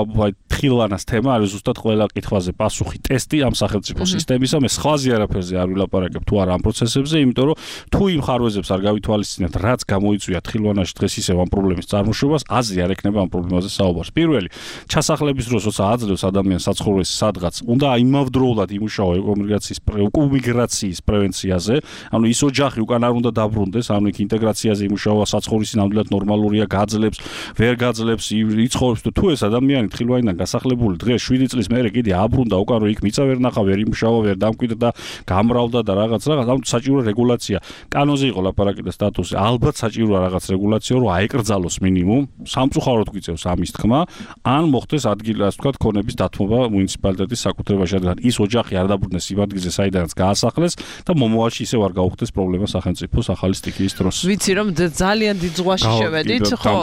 თხილვანას თემა არის ზუსტად ყველა კითხვაზე პასუხი ტესტი ამ სახელმწიფო სისტემისა მე სხვაზე არაფერზე არ ვილაპარაკებ თუ არა ამ პროცესებზე იმიტომ რომ თუ იმ ხარვეზებს არ გავითვალისწინებთ რაც გამოიწვია თხილვანაში დღეს ისევ ამ პრობლემის წარმოშობას აზრი არ ექნება ამ პრობლემაზე საუბარს პირველი ჩასახლების დროს როცა აძლევს ადამიანს საცხოვრებელს სადღაც უნდა იმავდროულად იმუშაო ეკომიგრაციის ეკომიგრაციის პრევენციაზე ანუ ის ოჯახი უკან არ უნდა დაბრუნდეს ანუ იქ ინტეგრაციაზე იმუშავა საცხოვრისი ნამდვილად ნორმალურია გაძლებს ვერ გაძლებს იცხოვრებს თუ ეს ადამიანი თხილვანიდან გასახლებული დღეს შვიდი წლის მერე კიდე აბრუნდა უკან რომ იქ მიწა ვერ ნახა ვერ იმუშავა ვერ დამკვიდრდა გამრავდა და რაღაც რაღაც ანუ საჭირო რეგულაცია კანონზე იყო ლაპარაკი და სტატუსი ალბათ საჭიროა რაღაც რეგულაცია რომ აეკრძალოს მინიმუმ სამწუხაროდ გვიწევს ამის თქმა ან მოხდეს ადგილი ასე ვთქვათ ქონების დათმობა მუნიციპალიტეტის საკუთრებაში რადგან ის ოჯახი არ დაბრუნდეს იმ ადგილზე საიდანაც გაასახლეს და მომავალში ისევ არ გაუხდეს პრობლემა სახელმწიფოს ახალი სტიქიის დროს ვიცი რომ ძალიან დიდ ზღვაში შევედით ხო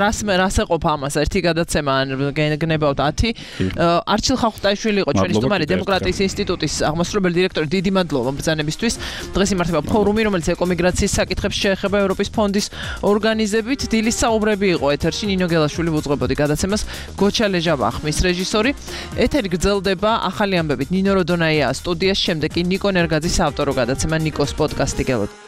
რას რას ეყოფა ამას ერთი გადაცემა ან გნებავთ ათი არჩილ ხახუტაიშვილი იყო ჩვენი სტუმარი დემოკრატიის ინსტიტუტის აღმასრულებელი დირექტორი დიდი მადლობა ბრძანებისთვის დღეს იმართება ფორუმი რომელიც ეკომიგრაციის საკითხებს შეეხება ევროპის ფონდის ორგანიზებით დილის საუბრები იყო ეთერში ნინო გელაშვილი უძღვებოდი გადაცემას გოჩა ლეჟაბა ხმის რეჟისორი ეთერი გრძელდება ახალი ამბებით ნინო როდონაია სტუდიაში შემდეგ კი ნიკო ნერგაძის ავტორო გადაცემა ნიკოს პოდკასტი გელოთ